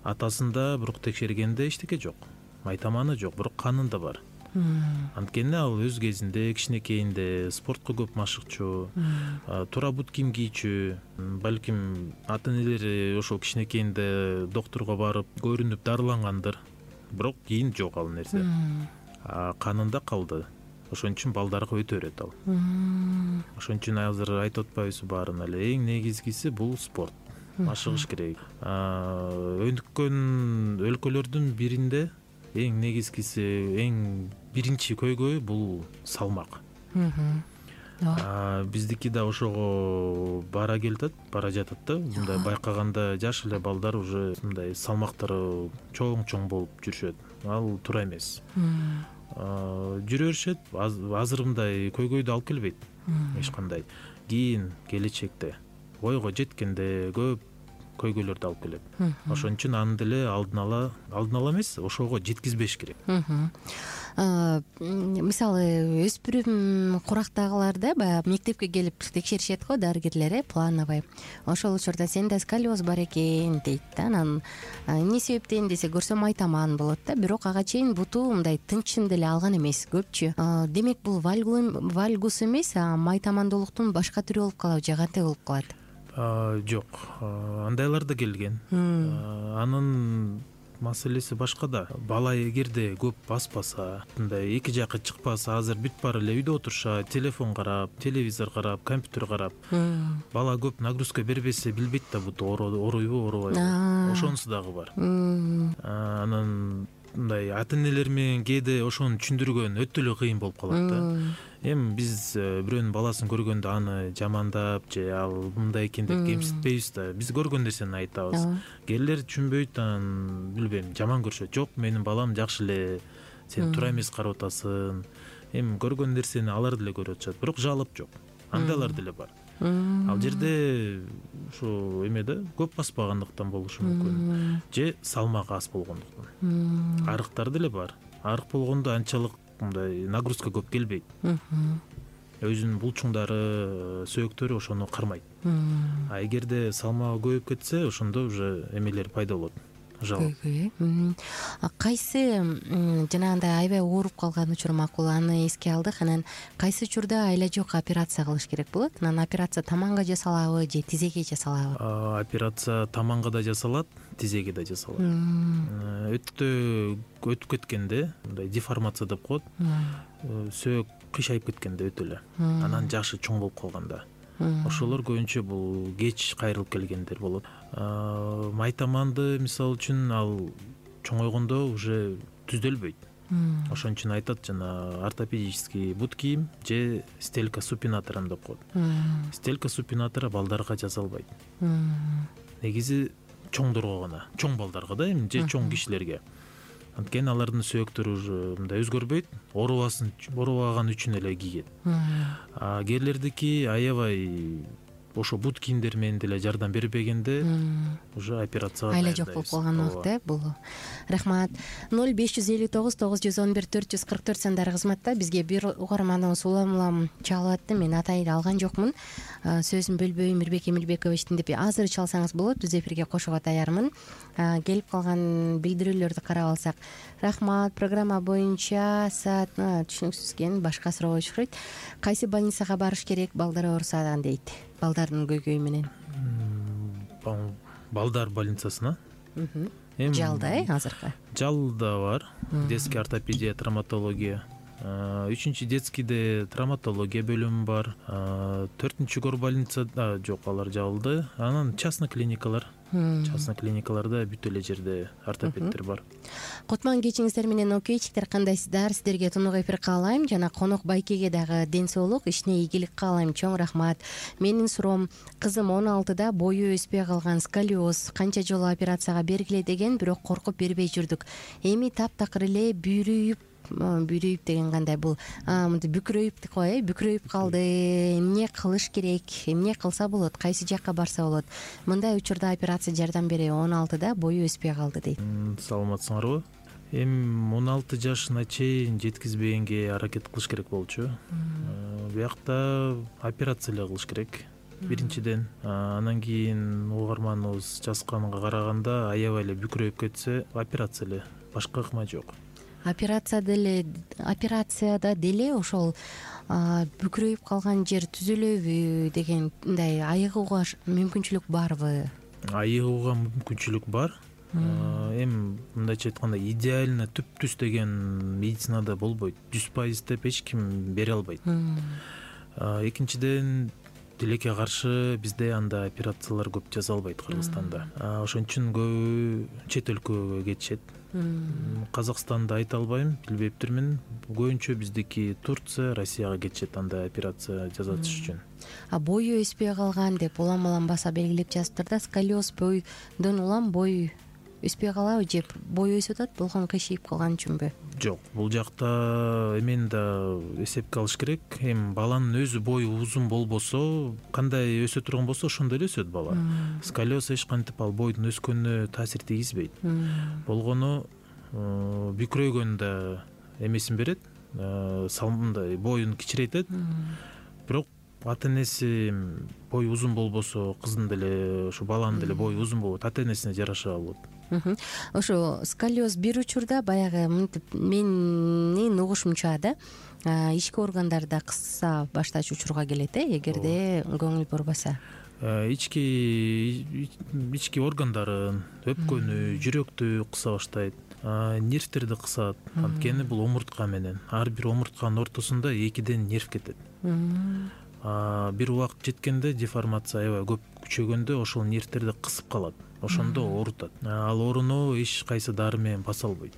Атасында бирок текшергенде эчтеке жок. Майтаманы жок, бирок канында бар. Анткени ал өз кезинде кичинекейинде спортко көп машыкчу, туура бут кийим кийчү, балким ата-энелери ошол кичинекейинде доктурга барып көрүнүп дарылангандыр. Бирок кийин жок ал нерсе. Канында калды. Ошон үчүн балдарга өтө берет ал. Ошон үчүн азыр айтып атпайбызбы баарына эле, эң негизгиси бул спорт. Машыгыш керек. Өнүккөн өлкөлөрдүн биринде эң негизгиси, эң биринчи көйгөй бул салмак. Биздики да ошого бара келатат, бара жатат да. Мындай байкаганда жаш эле балдар уже мындай салмактары чоң-чоң болуп жүрүшөт. Ал туура эмес. Жүрө беришет, азыр мындай көйгөйдү алып келбейт эч кандай. Кийин келечекте ойго жеткенде көп көйгөйлөрдү алып келет. Ошон үчүн аны деле алдын ала, алдын ала эмес, ошого жеткизбеш керек. Мисалы өспүрүм курактагыларда баягы мектепке келип текшеришет го дарыгерлер, э, плановый. Ошол учурда сенде сколиоз бар экен дейт да. Анан эмне себептен десе көрсөм майтаман болот да, бирок ага чейин буту мындай тынчын деле алган эмес көпчү. Демек бул вальгус эмес, а майтамандуулуктун башка түрү болуп калабы же кантип болуп калат? Жок, андайлар да келген. Анын маселеси башкада. Бала эгерде көп баспаса, мындай эки жакка чыкпаса, азыр бүт баары эле үйдө отурушат, телефон карап, телевизор карап, компьютер карап. Бала көп нагрузка бербесе билбейт да буту оруйбу, орубайбы. Ошонусу дагы бар. Анан мындай ата-энелер менен кээде ошону түшүндүргөн өтө эле кыйын болуп калат да. Эми биз бирөөнүн баласын көргөндө аны жамандап же ал мындай экен деп кемситпейбиз да. Биз көргөн нерсени айтабыз. Келер түшүнбөйт, анан билбейм, жаман көрүшөт. Жок, менин балам жакшы эле, сен туура эмес карап атасың. Эми көргөн нерсени алар деле көрүп атышат, бирок жалоп жок. Андайлар деле бар. Ал жерде ушу эмеде көп баспагандыктан болушу мүмкүн. Же салмагы аз болгондуктан. Арыктар деле бар. Арык болгондо анчалык мындай нагрузка көп келбейт. Өзүнүн булчуңдары, сөөктөрү ошону кармайт. А эгерде салмагы көбөйүп кетсе, ошондо уже эмелер пайда болот. Кайсы жанагындай аябай ооруп калган учур макул, аны эске алдык. Анан кайсы учурда айла жок операция кылыш керек болот? Анан операция таманга жасалабы же тизеге жасалабы? Операция таманга да жасалат, тизеге да жасалат. Өтө өтүп кеткенде, мындай деформация деп коет, сөөк кыйшайып кеткенде өтө эле. Анан жашы чоң болуп калганда. Ошолор көбүнчө бул кеч кайрылып келгендер болот. Майтаманды мисалы үчүн ал чоңойгондо уже түзөлбөйт. Ошон үчүн айтат жана ортопедический бут кийим же стелька супинатором деп коет. Стелька супинатора балдарга жасалбайт. Негизи чоңдорго гана, чоң балдарга да эми же чоң кишилерге. Анткени алардын сөөктөрү уже мындай өзгөрбөйт, оорубасын оорубаган үчүн эле кийет. А кээрлердики аябай ошо бут кийимдер менен деле жардам бербегенде уже операцияга айла жок болуп калган убакта э бул. Рахмат. ноль беш жүз элүү тогуз тогуз жүз он бир төрт жүз кырк төрт сандары кызматта. Бизге бир угарманыбыз улам улам чалып атты. Мен атайды алган жокмун. Сөзүн бөлбөйм, Мирбек Эмилбековичтин деп азыр чалсаңыз болот. Түз эфирге кошууга даярмын. Келип калган билдирүүлөрдү карап алсак. Рахмат. Программа боюнча саат түшүнүксүз экен, башка суроо чыкпайт. Кайсы больницага барыш керек балдар оорусадан дейт. Балдардын көйгөйү менен. Балдар больницасына? Жалда э азыркы. Жалда бар. Детский ортопедия, травматология. Үчүнчү детскийде травматология бөлүмү бар. Төртүнчү гор больницада жок, алар жабылды. Анан частный клиникалар. Частный клиникаларда бүт эле жерде ортопедтер бар. Кутман кечиңиздер менен окейчиктер, кандайсыздар? Сиздерге тунук эфир каалайм жана конок Байкеге дагы ден соолук, ишине ийгилик каалайм. Чоң рахмат. Менин суроом, кызым он алтыда бою өспөй калган, сколиоз, канча жолу операцияга бергиле деген, бирок коркуп бербей жүрдүк. Эми таптакыр эле бүйрөйүп бүйрөйүп деген кандай, бул мынтип бүкрөйүп го э бүкрөйүп калды. Эмне кылыш керек? Эмне кылса болот? Кайсы жакка барса болот? Мындай учурда операция жардам береби? он алтыда бою өспөй калды дейт. Саламатсыңарбы? Эми он алты жашына чейин жеткизбегенге аракет кылыш керек болчу. Биякта операция эле кылыш керек. Биринчиден, анан кийин угарманыбыз жазганга караганда аябай эле бүкрөйүп кетсе, операция эле, башка ыкма жок. Операция деле операцияда деле ошол бүкрөйүп калган жер түзүлөбү деген мындай айыгууга мүмкүнчүлүк барбы? Айыгууга мүмкүнчүлүк бар. Эми мындайча айтканда идеально түп-түз деген медицинада болбойт. жүз пайыз деп эч ким бере албайт. Экинчиден, тилекке каршы бизде анда операциялар көп жасалбайт Кыргызстанда. Ошон үчүн көбү чет өлкөгө кетишет. Казакстанда айта албайм, билбептирмин. Көбүнчө биздики Турция, Россияга кетишет анда операция жасатыш үчүн. А бою өспөй калган деп улам улам баса белгилеп жазыптыр да, сколиоз бойдон улам бой өспөй калабы же бой өсүп атат, болгон кыйшыйып калган үчүнбү? Жок, бул жакта эмени да эсепке алыш керек. Эми баланын өзү бою узун болбосо, кандай өсө турган болсо ошондой эле өсөт бала. Сколиоз эч кантип ал бойдун өскөнүнө таасир тийгизбейт. Болгону бүкрөйгөн да эмесин берет, мындай боюн кичирейтет. Бирок ата энеси бою узун болбосо, кыздын деле, ошо баланын деле бою узун болот, ата энесине жараша болот. Ошо сколиоз бир учурда баягы мынтип менин угушумча да, ички органдарда кыса баштач учурга келет э, эгерде көңүл бурбаса. Ички ички органдарын, өпкөнү, жүрөктү кыса баштайт. Нервтерди кысат. Анткени бул омуртка менен. Ар бир омуртканын ортосунда экиден нерв кетет. Бир убакыт жеткенде деформация аябай көп күчөгөндө ошол нервтерди кысып калат. Ошондо оорутат. Ал ооруну эч кайсы дары менен баса албайт.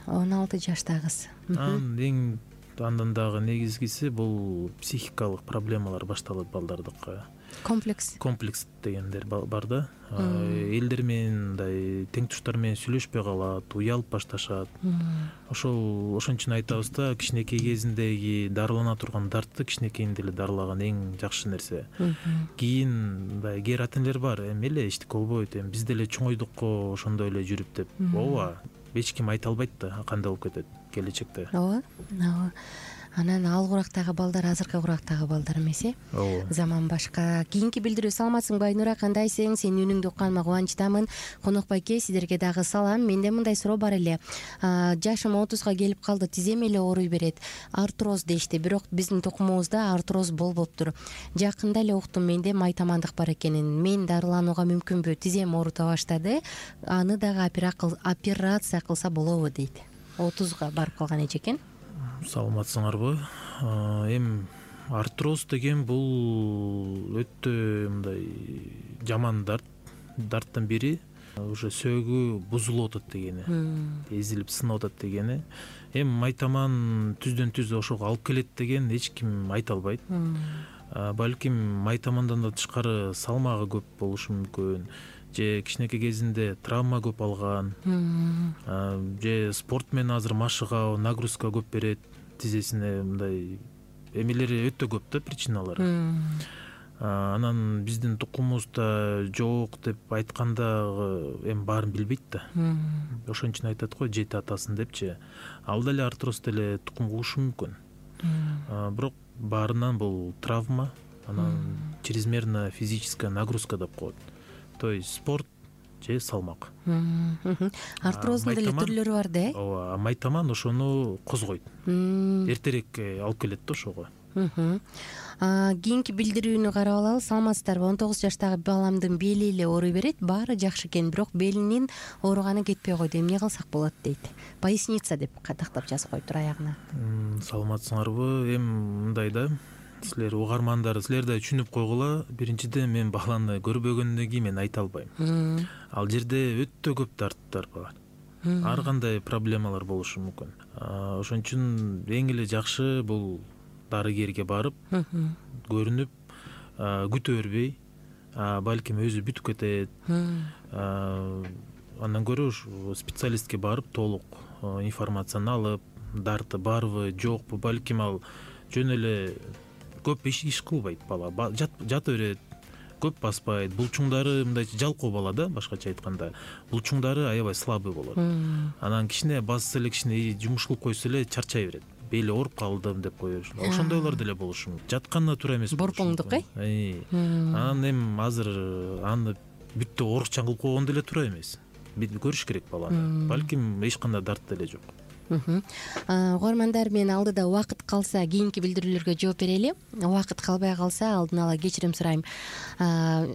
он алты жаштагы. Эң андан дагы негизгиси бул психикалык проблемалар башталат балдардыкы. Комплекс. Комплекс дегендер бар да. Элдер менен мындай тең туштар менен сүйлөшпөй калат, уялып башташат. Ошол ошон үчүн айтабыз да, кичинекей кезиндеги дарылана турган дартты кичинекейинде эле дарылаган эң жакшы нерсе. Кийин мындай кээ ата энелер бар, эми эле эчтеке болбойт, эми биз деле чоңойдук го ошондой эле жүрүп деп. Ооба, эч ким айта албайт да кандай болуп кетет келечекте. Ооба, ооба. Анан ал курактагы балдар азыркы курактагы балдар эмес э? Ооба. Заман башка. Кийинки билдирүү. Саламатсың Байнура, кандайсың? Сенин үнүңдү укканыма кубанычтамын. Конок Байке, сиздерге дагы салам. Менде мындай суроо бар эле. Жашым отузга келип калды, тизем эле ооруй берет. Артроз дешти, бирок биздин тукумубузда артроз болбоптур. Жакында эле уктум, менде майтамандык бар экенин. Мен дарыланууга мүмкүнбү? Тизем оорута баштады. Аны дагы операция кылса болобу дейт. отузга барып калган эчекен. Саламатсыңарбы? Эми артроз деген бул өтө мындай жаман дарт. Дарттын бири уже сөөгү бузулуп атат дегени, эзилип сынып атат дегени. Эми майтаман түздөн түз ошого алып келет деген эч ким айта албайт. балким майтамандан да тышкары салмагы көп болушу мүмкүн, же кичинекей кезинде травма көп алган, же спорт менен азыр машыга нагрузка көп берет тизесине, мындай эмелери өтө көп да, причиналары. Анан биздин тукумубузда жок деп айтканда эми баарын билбейт да. Ошон үчүн айтат го жети атасын депчи. Ал деле артроз деле тукум кугушу мүмкүн. Бирок баарынан бул травма, анан чрезмерная физическая нагрузка деп коет. То есть спорт же салмак. Артроздун деле түрлөрү бар да, э? Ооба, майтаман ошону козгойт. Эртерээк алып келет да ошого. Кийинки билдирүүнү карап алалы. Саламатсыздарбы? он тогуз жаштагы баламдын бели эле ооруй берет. Баары жакшы экен, бирок белинин ооруганы кетпей койду. Эмне кылсак болот дейт. Поясница деп катактап жазып коюптур аягына. Саламатсыңарбы? Эми мындай да, силер угармандар, силер да түшүнүп койгула. Биринчиден, мен баланы көрбөгөндөн кийин мен айта албайм. Ал жерде өтө көп дарттар бар. Ар кандай проблемалар болушу мүмкүн. Ошон үчүн эң эле жакшы бул дарыгерге барып, көрүнүп, күтө бербей, балким өзү бүтүп кетет. Андан көрө специалистке барып, толук информацияны алып, дарты барбы, жокпу, балким ал жөн эле көп иш кылбайт бала, жата берет, көп баспайт, булчуңдары мындайча жалкоо бала да, башкача айтканда, булчуңдары аябай слабый болот. Анан кичине басса эле, кичине жумуш кылып койсо эле чарчай берет. Бели ооруп калдым деп коёш. Ошондойлор деле болушу мүмкүн. Жатканда тура эмес. Борпоңдук, э? Анан эми азыр аны бүттө оорукчан кылып койгон деле туура эмес. Көрүш керек баланы. Балким эч кандай дарт деле жок. Угармандар, мен алдыда убакыт калса кийинки билдирүүлөргө жооп берели. Убакыт калбай калса алдын ала кечирим сурайм.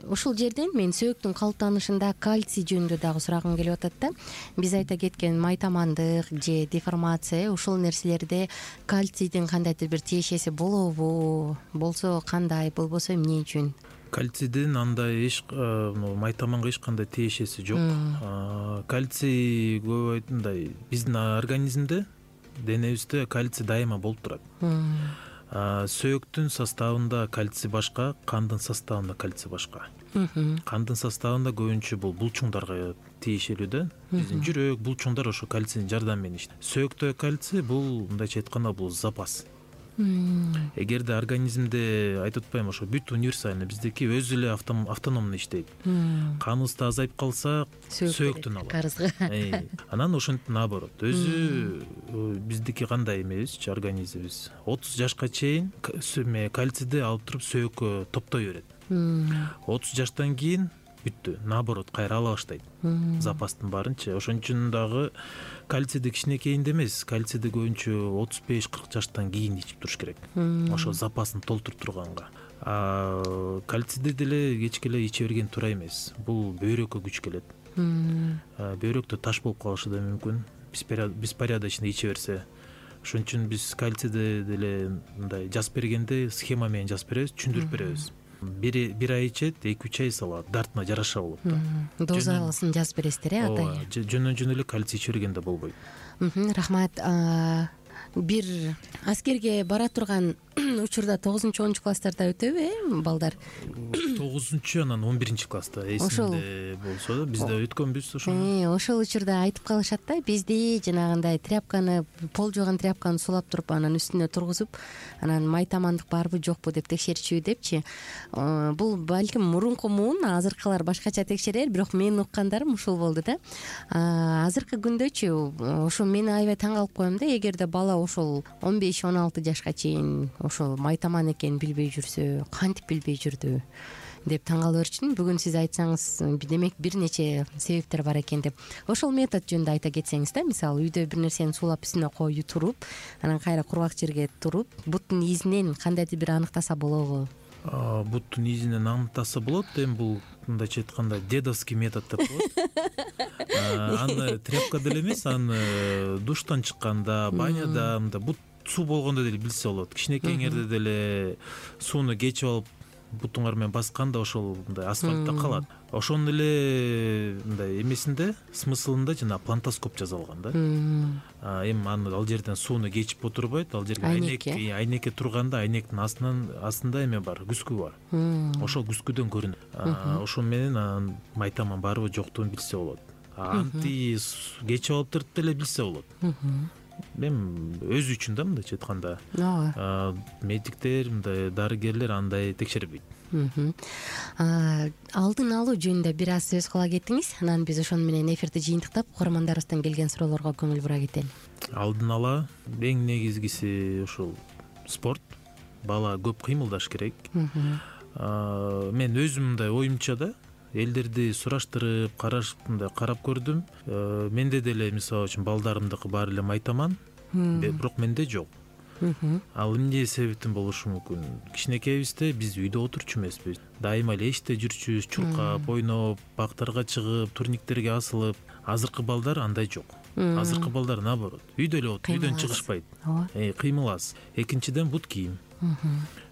Ушул жерден мен сөөктүн калыптанышында кальций жөнүндө дагы сурагым келип атат да. Биз айта кеткен майтамандык же деформация, ушул нерселерде кальцийдин кандайдыр бир тиешеси болобу? Болсо кандай, болбосо эмне үчүн? Кальцийдин андай эч майтаманга эч кандай тиешеси жок. Кальций көп мындай биздин организмде, денебизде кальций дайыма болуп турат. Сөөктүн составында кальций башка, кандын составында кальций башка. Кандын составында көбүнчө бул булчуңдарга тиешелүү да. Биздин жүрөк, булчуңдар ошо кальцийдин жардамы менен иштейт. Сөөктө кальций бул мындайча айтканда бул запас. Эгерде организмде айтып атпайм, ошо бүт универсальный, биздики өзү эле автономный иштейт. Каныбызды азайып калса, сөөктөн алат. Карызга. Анан ошентип наоборот. Өзү биздики кандай эмебиз, организмибиз отуз жашка чейин кальцийди алып туруп сөөккө топтой берет. отуз жаштан кийин бүттү, наоборот, кайра ала баштайт запастын баарынчы. Ошон үчүн дагы кальцийди кичинекейинде эмес, кальцийди көбүнчө отуз беш кырк жаштан кийин ичип туруш керек. Ошо запасын толтуруп турганга. А кальцийди деле кечке эле иче берген туура эмес. Бул бөйрөккө күч келет. Бөйрөктө таш болуп калышы да мүмкүн, беспорядочно иче берсе. Ошон үчүн биз кальцийди деле мындай жазып бергенде схема менен жазып беребиз, түшүндүрүп беребиз. Бир ай ичет, эки үч ай салат, дартына жараша болот да. Дозалысын жазып бересиздер, э, атай? Жөнөн-жөн эле кальций иче бергенде болбойт. Рахмат. Бир аскерге бара турган учурда тогузунчу онунчу класстарда өтөбү, э, балдар? тогузунчу анан он биринчи класста эсимде болсо да, бизде өткөнбүз ошону. Ошол учурда айтып калышат да, бизди жанагындай тряпканы, пол жууган тряпканы сулап туруп, анан үстүнө тургузуп, анан майтамандык барбы жокпу деп текшерчү депчи. Бул балким мурунку муун, азыркылар башкача текшерер, бирок менин уккандарым ушул болду да. Азыркы күндөчү ошо мени аябай таң калып коем да, эгерде бала ошол он беш он алты жашка чейин ошол майтаман экенин билбей жүрсө, кантип билбей жүрдү деп таң кала берчүмүн. Бүгүн сиз айтсаңыз, демек бир нече себептер бар экен деп. Ошол метод жөнүндө айта кетсеңиз да, мисалы үйдө бир нерсени суулап үстүнө коюп туруп, анан кайра кургак жерге туруп, буттун изинен кандайдыр бир аныктаса болобу? Буттун изинен аныктаса болот. Эми бул мындайча айтканда дедовский метод деп коет. Аны тряпка деле эмес, аны душтан чыкканда, баняда, мында бут суу болгондо деле билсе болот. Кичинекейиңерде деле сууну кечип алып бутуңар менен басканда ошол мындай асфальтта калат. Ошонун эле мындай эмесинде, смыслында жана плантоскоп жазылган да. Эми аны ал жерден сууну кечип отурбайт, ал жерге айнек айнекке турганда айнектин астынан астында эме бар, күскү бар. Ошол күскүдөн көрүнөт. Ошол менен анан майтаман барбы жоктугун билсе болот. Анти кечип алып туруп деле билсе болот. Эми өзү үчүн да мындайча айтканда. Медиктер, мындай дарыгерлер андай текшербейт. Алдын алуу жөнүндө бир аз сөз кыла кеттиңиз. Анан биз ошону менен эфирди жыйынтыктап, угармандарыбыздан келген суроолорго көңүл бура кетели. Алдын ала эң негизгиси ошол спорт. Бала көп кыймылдаш керек. Мен өзүм мындай оюмча да элдерди сураштырып, карашып, мындай карап көрдүм. Менде деле мисалы үчүн балдарымдыкы баары эле майтаман, бирок менде жок. Ал эмне себептен болушу мүмкүн? Кичинекейбизде биз үйдө отурчу эмеспиз. Дайыма эле эчте жүрчүбүз, чуркап, ойноп, бактарга чыгып, турниктерге асылып. Азыркы балдар андай жок. Азыркы балдар наоборот, үйдө эле отуруп, үйдөн чыгышпайт. Кыймыл аз. Экинчиден бут кийим.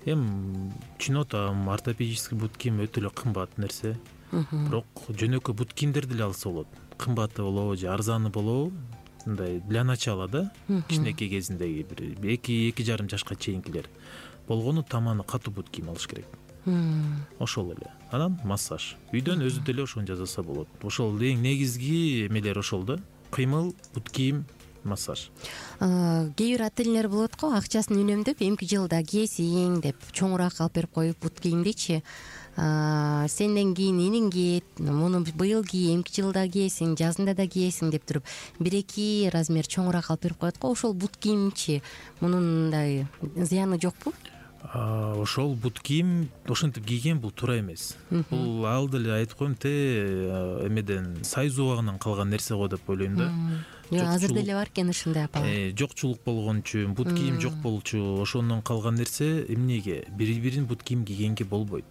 Эми түшүнүп атам, ортопедический бут кийим өтө эле кымбат нерсе. Бирок жөнөкөй бут кийимдерди эле алса болот. Кымбаты болобу же арзаны болобу, мындай для начала да, кичинекей кезиндеги бир эки эки жарым жашка чейинкилер болгону таманы катуу бут кийим алыш керек. Ошол эле. Анан массаж. Үйдөн өзү деле ошону жасаса болот. Ошол эң негизги эмелер ошол да. Кыймыл, бут кийим, массаж. Кээ бир ата энелер болот го, акчасын үнөмдөп, эмки жылда кийесиң деп чоңураак алып берип коюп бут кийимдичи. Сенден кийин иниң кийет, муну быйыл кий, эмки жылда кийесиң, жазында да кийесиң деп туруп бир эки размер чоңураак алып берип коет го. Ошол бут кийимчи мунун мындай зыяны жокпу? Ошол бут кийим ошентип кийген бул туура эмес. Бул ал деле айтып коем те эмеден сайыз убагынан калган нерсе го деп ойлойм да. Азыр деле бар экен ушундай апалар. Жокчулук болгон үчүн, бут кийим жок болчу, ошондон калган нерсе эмнеге? Бири-бирин бут кийим кийгенге болбойт.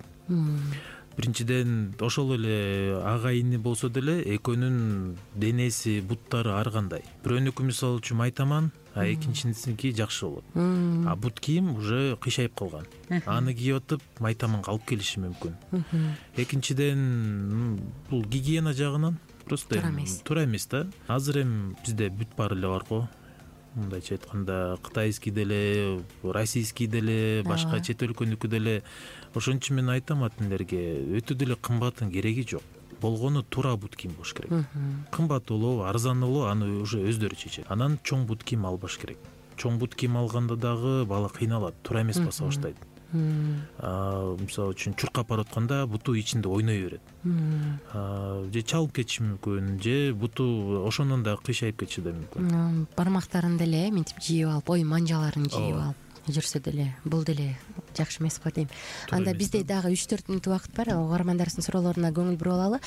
Биринчиден ошол эле ага ини болсо деле экөөнүн денеси, буттары ар кандай. Бирөөнүкү мисалы үчүн майтаман, а экинчисиники жакшы болот. А бут кийим уже кыйшайып калган. Аны кийип атып майтаманга алып келиши мүмкүн. Экинчиден бул гигиена жагынан просто туура эмес да. Азыр эми бизде бүт баары эле бар го. Мындайча айтканда кытайский деле, российский деле, башка чет өлкөнүкү деле. Ошон үчүн мен айтам ата-энелерге, өтө деле кымбаттын кереги жок. Болгону туура бут кийим болуш керек. Кымбат болобу, арзан болобу, аны уже өздөрү чечет. Анан чоң бут кийим албаш керек. Чоң бут кийим алганда дагы бала кыйналат, туура эмес баса баштайт. Мисалы үчүн чуркап баратканда буту ичинде ойной берет. Же чалып кетиши мүмкүн, же буту ошондон да кыйшайып кетиши да мүмкүн. Бармактарын деле мынтип жийип алып, ой манжаларын жийип алып жүрсө деле бул деле жакшы эмес го дейм. Анда бизде дагы үч төрт мүнөт убакыт бар. Угармандарыбыздын суроолоруна көңүл буруп алалы.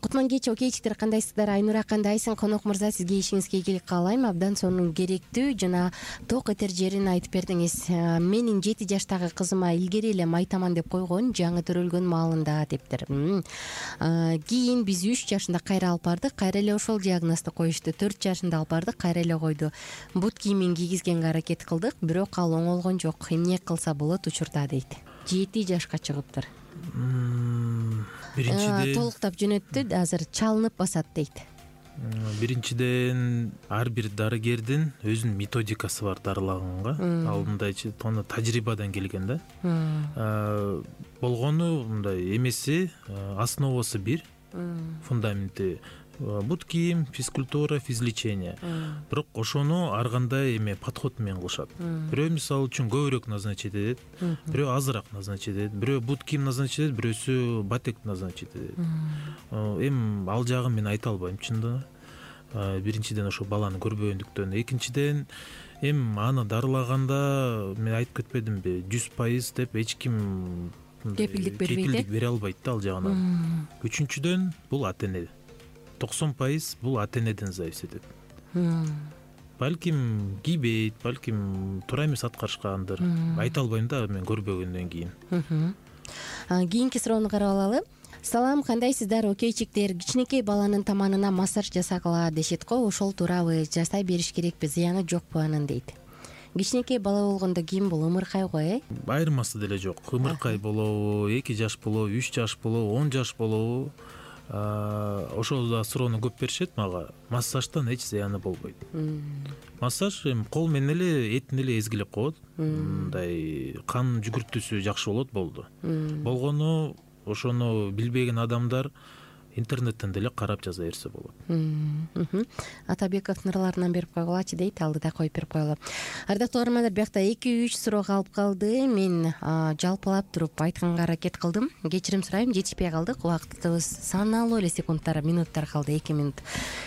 Кутман кечи окейчиктер, кандайсыздар? Айнура кандайсың? Конок мырза, сизге ишиңизге ийгилик каалайм. Абдан сонун керектүү жана ток этер жерин айтып бердиңиз. Менин жети жаштагы кызыма илгери эле майтаман деп койгон, жаңы төрөлгөн маалында дептир. Кийин биз үч жашында кайра алып бардык, кайра эле ошол диагнозду коюшту. төрт жашында алып бардык, кайра эле койду. Бут кийимин кийгизгенге аракет кылдык, бирок ал оңолгон жок. Эмне кылса болот учурда дейт. жети жашка чыгыптыр. Биринчиден толуктап жөнөттү, азыр чалынып басат дейт. Биринчиден ар бир дарыгердин өзүнүн методикасы бар дарылаганга. Ал мындайчы тажрыйбадан келген да. Болгону мындай эмеси, основасы бир, фундаменти бут кийим, физкультура, физлечение. Бирок ошону ар кандай эме подход менен кылышат. Бирөө мисалы үчүн көбүрөөк назначить этет, бирөө азыраак назначить этет, бирөө бут кийим назначить этет, бирөөсү батек назначить этет. Эми ал жагын мен айта албайм чындыгы. Биринчиден ошо баланы көрбөгөндүктөн, экинчиден эми аны дарылаганда мен айтып кетпедимби, жүз пайыз деп эч ким кепилдик бербейт, бере албайт да ал жагынан. Үчүнчүдөн бул ата-эне. токсон пайыз бул ата-энеден зависит этет. Балким кийбейт, балким туура эмес аткарышкандыр. Айта албайм да мен көрбөгөндөн кийин. Кийинки суроону карап алалы. Салам, кандайсыздар окейчиктер? Кичинекей баланын таманына массаж жасагыла дешет го, ошол туурабы? Жасай бериш керекпи? Зыяны жокпу анын дейт. кичинекей бала болгондо кийим бул ымыркай го, э? Айырмасы деле жок. Ымыркай болобу, эки жаш болобу, үч жаш болобу, он жаш болобу, ошол да суроону көп беришет мага. Массаждан эч зыяны болбойт. Массаж эми кол менен эле этин эле эзгилеп коет. Мындай кан жүгүртүүсү жакшы болот болду. Болгону ошону билбеген адамдар интернеттен деле карап жаза берсе болот. Атабеков нурларынан берип койгулачы дейт, алдыда коюп берип коелу. Ардактуу угармандар, биякта эки үч суроо калып калды. Мен жалпылап туруп айтканга аракет кылдым. Кечирим сурайм, жетишпей калдык. Убактыбыз саналуу эле секундтар, минуттар калды, эки минут.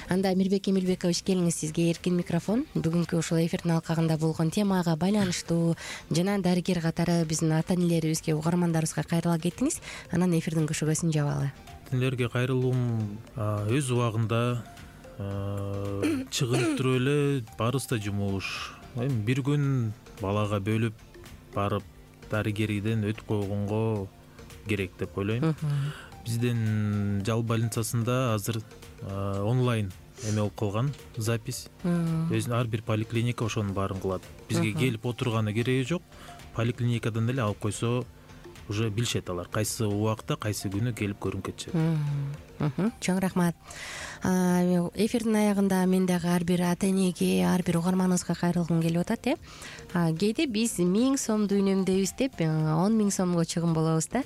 Анда Эмилбек Эмилбекович, келиңиз, сизге эркин микрофон. Бүгүнкү ушул эфирдин алкагында болгон темага байланыштуу жана дарыгер катары биздин ата энелерибизге, угармандарыбызга кайрыла кетиңиз. Анан эфирдин көшөгөсүн жабалы. Силерге кайрылуум өз убагында чыгынып туруп эле баарыбыз да жумуш. Эми бир күн балага бөлүп барып дарыгерден өтүп койгонго керек деп ойлойм. Биздин жал больницасында азыр онлайн эме болуп калган, запись. Өзүнүн ар бир поликлиника ошонун баарын кылат. Бизге келип отурганы кереги жок. Поликлиникадан эле алып койсо уже билишет алар кайсы убакта, кайсы күнү келип көрүнүп кетишет. Чоң рахмат. Эфирдин аягында мен дагы ар бир ата энеге, ар бир угарманыбызга кайрылгым келип атат, э. Кээде биз миң сомду үнөмдөйбүз деп он миң сомго чыгым болобуз да.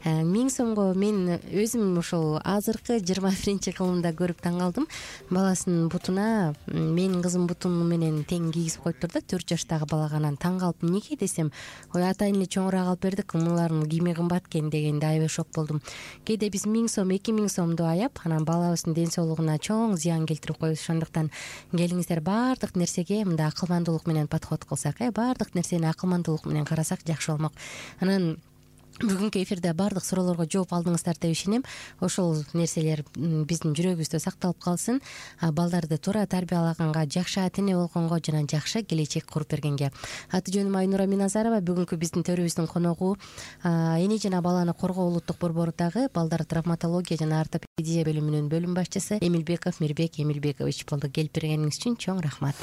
Миң сомго мен өзүм ошол азыркы жыйырма биринчи кылымда көрүп таң калдым. Баласынын бутуна менин кызым бутум менен тең кийгизип коюптур да, төрт жаштагы балага. Анан таң калып, эмнеге десем, ой ата эне чоңураак алып бердик, мулардын кийими кымбат экен дегенде аябай шок болдум. Кээде биз миң сом, эки миң сомду аяп, анан балабыздын ден соолугуна чоң зыян келтирип коебуз. Ошондуктан келиңиздер, баардык нерсеге мындай акылмандуулук менен подход кылсак, э, баардык нерсени акылмандуулук менен карасак жакшы болмок. Анан бүгүнкү эфирде баардык суроолорго жооп алдыңыздар деп ишенем. Ошол нерселер биздин жүрөгүбүздө сакталып калсын. Балдарды туура тарбиялаганга, жакшы ата эне болгонго жана жакшы келечек куруп бергенге. Аты жөнүм Айнура Миназарова. Бүгүнкү биздин төрүбүздүн коногу эне жана баланы коргоо улуттук борборудагы балдар травматология жана ортопедия бөлүмүнүн бөлүм башчысы Эмилбеков Мирбек Эмилбекович болду. Келип бергениңиз үчүн чоң рахмат.